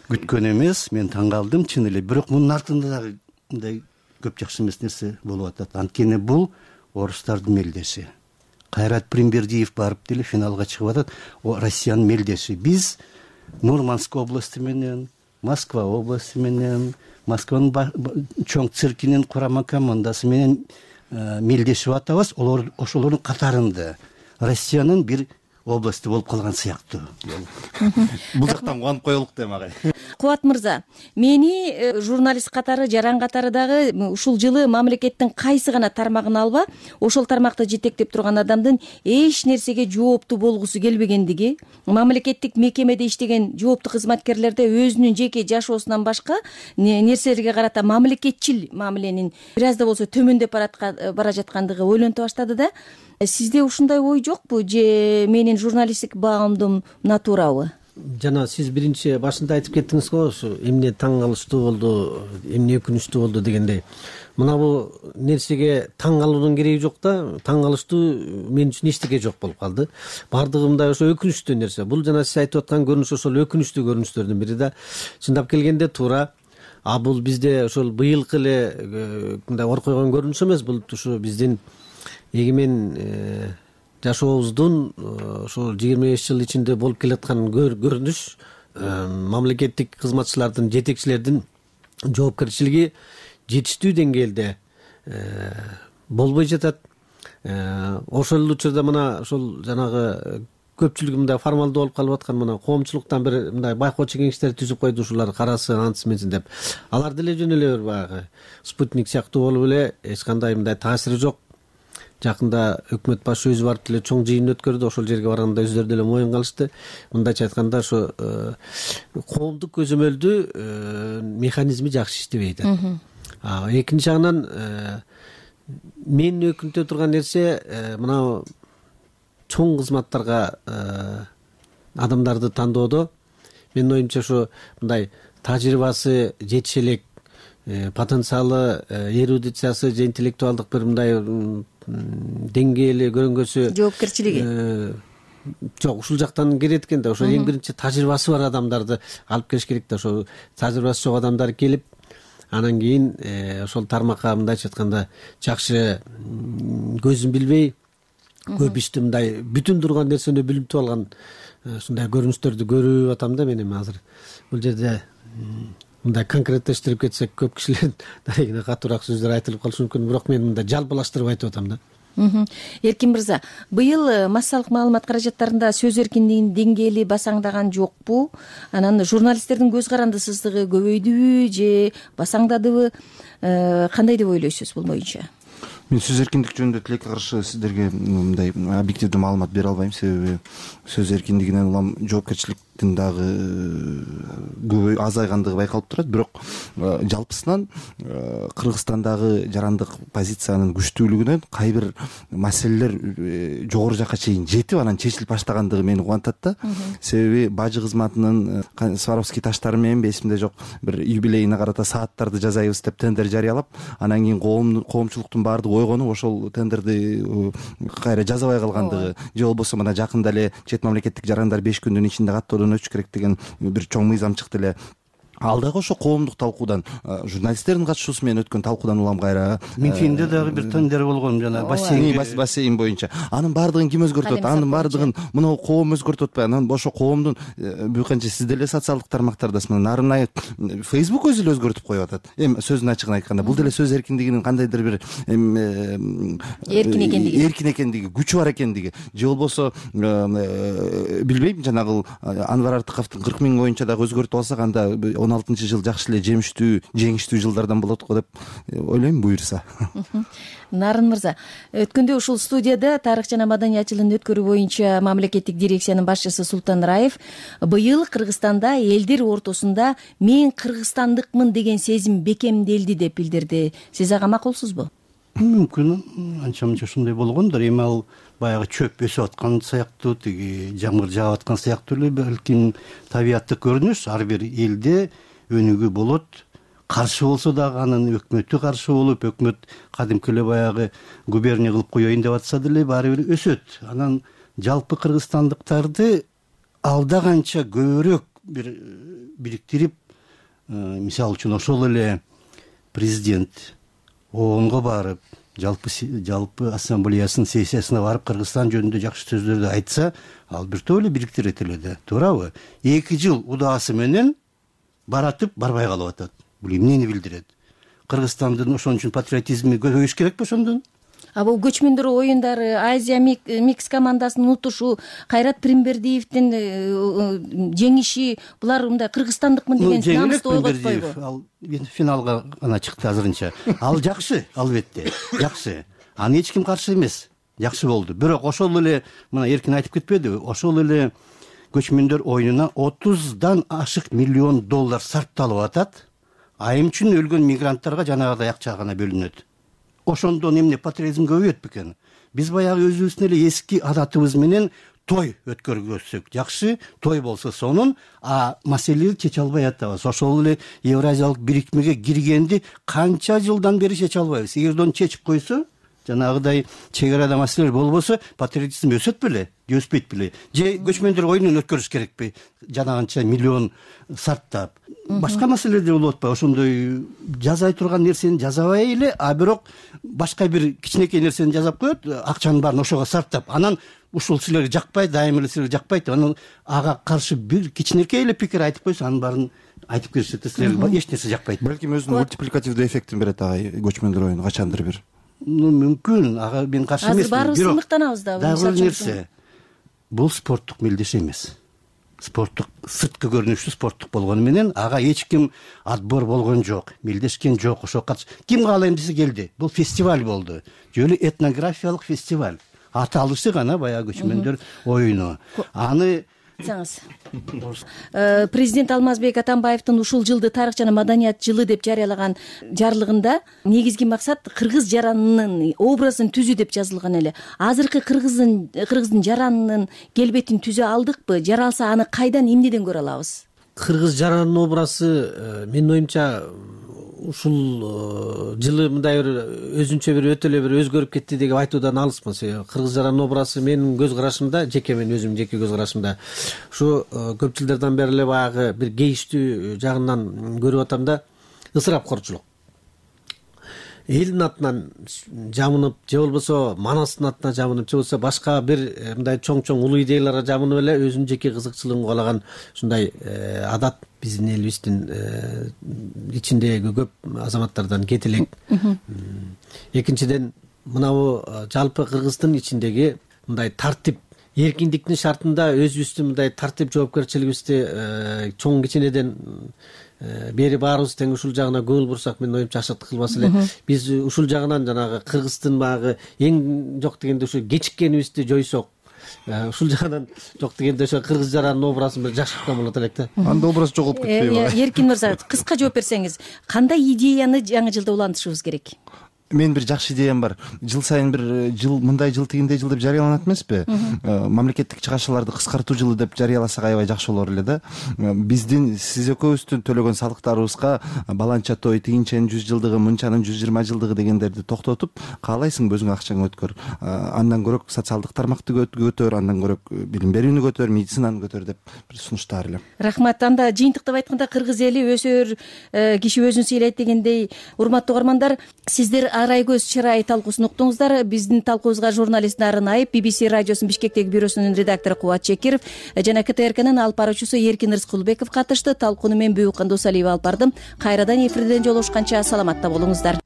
күткөн эмес. Мен таң калдым чын эле. Бирок мунун артында дагы мындай көп жакшы эмес нерсе болуп атат. Анткени бул орустардын мелдеши. Кайрат Примбердиев барып деле финалга чыгып атат. Россиянын мелдеши. Биз Мурманск областы менен, Москва областы менен, Москванын чоң циркинин курама командасы менен мелдешип атабыз. Ошолордун катарында Россиянын бир областы болуп калган сыяктуу. Бул жактан кубанып коелук дейм агай. Кубат мырза, мени журналист катары, жаран катары дагы ушул жылы мамлекеттин кайсы гана тармагын алба, ошол тармакты жетектеп турган адамдын эч нерсеге жооптуу болгусу келбегендиги, мамлекеттик мекемеде иштеген жооптуу кызматкерлерде өзүнүн жеке жашоосунан башка нерселерге карата мамлекетчил мамиленин бир аз да болсо төмөндөп бара жаткандыгы ойлонто баштады да. Сизде ушундай ой жокпу же менин журналисттик баамдым натурабы? Жана сиз биринчи башында айтып кеттиңиз го, ушу эмне таң калыштуу болду, эмне өкүнүчтүү болду дегендей. Мына бул нерсеге таң калуунун кереги жок да, таң калыштуу мен үчүн эчтеке жок болуп калды. Бардыгы мындай ошо өкүнүчтүү нерсе. Бул жана сиз айтып аткан көрүнүш ошол өкүнүчтүү көрүнүштөрдүн бири да. Чындап келгенде туура. Бул бизде ошол быйылкы эле мындай ор койгон көрүнүш эмес, бул ушу биздин эгемен жашообуздун ошол 25 жыл ичинде болуп келаткан көрүнүш, мамлекеттик кызматчылардын, жетекчилердин жоопкерчилиги жетиштүү деңгээлде болбой жатат. Ошол учурда мына ошол жанагы көпчүлүгү мындай формалдуу болуп калып аткан мына коомчулуктан бир мындай байкоочу кеңештер түзүп койду, ушулар карасын, антсын менсин деп. Алар деле жөн эле бир баягы спутник сыяктуу болуп эле эч кандай мындай таасири жок. Жакында өкмөт башы өзү барып деле чоң жыйын өткөрдү. Ошол жерге барганда өздөрү деле моюнга алышты. Мындайча айтканда ошо коомдук көзөмөлдүү механизми жакшы иштебейт. Экинчи жагынан мен өкүнтө турган нерсе мына чоң кызматтарга адамдарды тандоодо менин оюмча ошо мындай тажрыйбасы жетише элек, потенциалы, эрудициясы же интеллектуалдык бир мындай деңгээли көрүнгөсү, жоопкерчилиги жок, ушул жактан келет экен да. Ошо эң биринчи тажрыйбасы бар адамдарды алып келиш керек да. Ошо тажрыйбасы жок адамдар келип, анан кийин ошол тармакка мындайча айтканда жакшы көзүн билбей, көп ишти мындай бүтүн турган нерсени билип алган ушундай көрүнүштөрдү көрүп атам да мен эми азыр. Бул жерде мындай конкреттештирип кетсек көп кишилердин дарегине катуураак сөздөр айтылып калышы мүмкүн, бирок мен мындай жалпылаштырып айтып атам да. Эркин мырза, быйыл массалык маалымат каражаттарында сөз эркиндигинин деңгээли басаңдаган жокпу? Анан журналисттердин көз карандысыздыгы көбөйдүбү же басаңдадыбы? Кандай деп ойлойсуз бул боюнча? Мен сөз эркиндиги жөнүндө тилекке каршы сиздерге мындай объективдүү маалымат бере албайм, себеби сөз эркиндигинен улам жоопкерчилик дагы көп азайгандыгы байкалып турат. Бирок жалпысынан Кыргызстандагы жарандык позициянын күчтүүлүгүнөн кайбир маселелер жогору жакка чейин жетип анан чечилип баштагандыгы мени кубантат да. Себеби бажы кызматынын Сваровский таштары менен эсимде жок бир юбилейине карата сааттарды жасайбыз деп тендер жарыялап, анан кийин коомчулуктун баардыгы ойгонуп ошол тендерди кайра жасабай калгандыгы, же болбосо мына жакында эле чет мамлекеттик жарандар 5 күндүн ичинде каттоодон өтүш керек деген бир чоң мыйзам чыкты эле. Ал дагы ошо коомдук талкуудан, журналисттердин катышуусу менен өткөн талкуудан улам кайра. Мюнхенде дагы бир тендер болгон жана бассейн боюнча. Анын баардыгын ким өзгөртөт? Анын баардыгын мына коом өзгөртүп атпайбы? Анан ошо коомдун бул канча сиз деле социалдык тармактардасыз. Мына Нарынай Facebook өзү эле өзгөртүп коюп атат. Сөздүн ачыгын айтканда, бул деле сөз эркиндигинин кандайдыр бир эркин экендиги, күчү бар экендиги, же болбосо билбейм, жанагы Анвар Артыковдун 40 000 боюнча дагы өзгөртүп алсак, анда 16-жыл жакшы эле жеңиштүү жылдардан болот го деп ойлойм, буюрса. Нарын мырза, өткөндө ушул студияда тарых жана маданият жылын өткөрүү боюнча мамлекеттик дирекциянын башчысы Султан Раев быйыл Кыргызстанда элдер ортосунда мен кыргызстандыкмын деген сезим бекемделди деп билдирди. Сиз ага макулсузбу? Мүмкүн анча мынча ушундай болгондур. Эми ал баягы чөп өсүп аткан сыяктуу, тиги жамгыр жаап аткан сыяктуу эле балким табияттык көрүнүш. Ар бир элде өнүгүү болот. Каршы болсо дагы анын өкмөтү каршы болуп, өкмөт кадимки эле баягы губерния кылып коеюн деп атса деле баары бир өсөт. Анан жалпы кыргызстандыктарды алда канча көбүрөөк бир бириктирип, мисалы үчүн ошол эле президент ООНго барып, жалпы ассамблеясынын сессиясына барып Кыргызстан жөнүндө жакшы сөздөрдү айтса, ал бир топ эле бириктирет эле да, туурабы? 2 жыл удаасы менен баратып барбай калып атат. Бул эмнени билдирет? Кыргызстандын ошон үчүн патриотизми көбөйүш керекпи ошондон? Бул көчмөндөр оюндары, Азия микс командасынын утушу, Кайрат Пиримбердиевдин жеңиши, булар мындай кыргызстандыкмын деген намысты ойготпойбу? Ал финалга гана чыкты азырынча. Ал жакшы, албетте, жакшы. Аны эч ким каршы эмес. Жакшы болду. Бирок ошол эле мына эркин айтып кетпедиби? Ошол эле көчмөндөр оюнуна 30дан ашык миллион доллар сарпталып атат. Айым үчүн өлгөн мигранттарга жанагыдай акча гана бөлүнөт. Ошондон эмне патриотизм көбөйөт бекен? Биз баягы өзүбүздүн эле эски адатыбыз менен той өткөргөзсөк жакшы, той болсо сонун, маселени чече албай атабыз. Ошол эле Евразиялык бирикмеге киргенди канча жылдан бери чече албайбыз. Эгерде чечип койсо, жанагыдай чек арада маселелер болбосо, патриотизм өсөт беле, же өспөйт беле? Же көчмөндөр оюнун өткөрүш керекпи? Жанагынча миллион сарптап. Башка маселелер болуп атпайбы? Ошондой жазай турган нерсени жазабай эле, бирок башка бир кичинекей нерсени жазап коет, акчанын баарын ошого сарптап. Анан ушул силерге жакпайт, дайыма эле силерге жакпайт. Анан ага каршы бир кичинекей эле пикир айтып койсо, анын баарын айтып беришет, силерге эч нерсе жакпайт. Балким өзүнүн мультипликативдүү эффектин берет көчмөндөр оюну качандыр бир. Мүмкүн, ага мен каршы эмесмин. Азыр баарыбыз сындыктанабыз да. Дагы бир нерсе. Бул спорттук мелдеш эмес. Спорттук, сырткы көрүнүштүү спорттук болгону менен ага эч ким отбор болгон жок, мелдешкен жок, ошо ким каалайм десе келди. Бул фестиваль болду. Жөлү этнографиялык фестиваль. Аталышы гана баягы көчмөндөр оюну. Аны Президент Алмазбек Атамбаевдин ушул жылды тарых жана маданият жылы деп жарыялаган жарлыгында негизги максат кыргыз жаранынын образын түзүү деп жазылган эле. Азыркы кыргыздын жаранынын келбетин түзө алдыкпы? Жаралса аны кайдан, эмнеден көрө алабыз? Кыргыз жаранынын образы менин оюмча ушул жылы мындай бир өзүнчө бир өтө эле бир өзгөрүп кетти деп айтуудан алыспын. Кыргыз жаранынын образы менин көз карашымда, менин өзүмдүн жеке көз карашымда ушу көп жылдардан бери эле баягы бир кейиштүү жагынан көрүп атам да, ысырапкорчулук. Элдин атынан жамынып, же болбосо Манастын атынан жамынып, же болбосо башка бир мындай чоң улуу идеяларга жамынып эле өзүнүн жеке кызыкчылыгын каалаган ушундай адат биздин элибиздин ичиндеги көп азаматтардан кете элек. Экинчиден, мынабу жалпы Кыргыздын ичиндеги мындай тартип, эркиндиктин шартында өзүбүздүн мындай тартип жоопкерчилигибизди чоң кичинеден бери баарыбыз тең ушул жагына көңүл бурсак, менин оюмча ашыктык кылбас эле. Биз ушул жагынан жанагы Кыргыздын баягы эң жок дегенде ушу кечиккенибизди жойсок, ушул жагынан жок дегенде ошо кыргыз жаранын образын бир жакшырткан болот элек да. Анда образ жоголуп кетпейби? Эркин мырза, кыска жооп берсеңиз, кандай идеяны жаңы жылда улантышыбыз керек? Менин бир жакшы идеям бар. Жыл сайын бир жыл мындай жыл тигиндей жыл деп жарыяланат эмеспи? Мамлекеттик чыгарчыларды кыскартуу жылы деп жарыяласак аябай жакшы болор эле да. Биздин сиз экөөбүздүн төлөгөн салыктарыбызга баланча той, тигинченин 100 жылдыгы, мынчанын 120 жылдыгы дегендерди токтотуп, каалайсыңбы өзүң акчаңды өткөр, андан көрөк социалдык тармакты көтөр, андан көрөк билим берүүнү көтөр, медицинаны көтөр деп бир сунуштаар элем. Рахмат. Анда жыйынтыктап айтканда кыргыз эли өсөр киши өзүн сыйлайт дегендей, урматтуу угармандар, сиздер арай көз чырай талкуусун уктуңуздар. Биздин талкуубузга журналист Нарын Айып, BBC радиосунун Бишкектеги бюросунун редактору Кубат Чекиров жана КТРКнын алып баруучусу Эркин Рыскулбеков катышты. Талкууну мен Бүбүк Кандусалиева алып бардым. Кайрадан эфирден жолугушканча саламатта болуңуздар.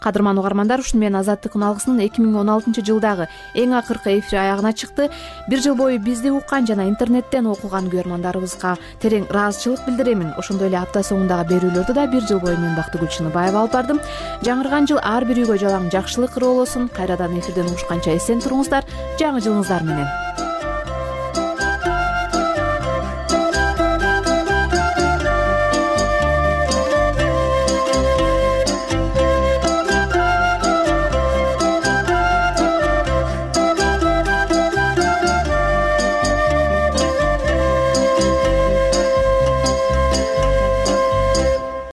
Кадырман угармандар, ушуну менен Азаттык үналгысынын 2016 жылдагы эң акыркы эфири аягына чыкты. Бир жыл бою бизди уккан жана интернеттен окуган көрөрмандарыбызга терең ыраазычылык билдиремин. Ошондой эле апта соңундагы берүүлөрдү да бир жыл бою мен Бактыгүл Чыныбаева алып бардым. Жаңырган жыл ар бир үйгө жалаң жакшылык ырыолосун. Кайрадан эфирден угушканча эсен туруңуздар. Жаңы жылыңыздар менен.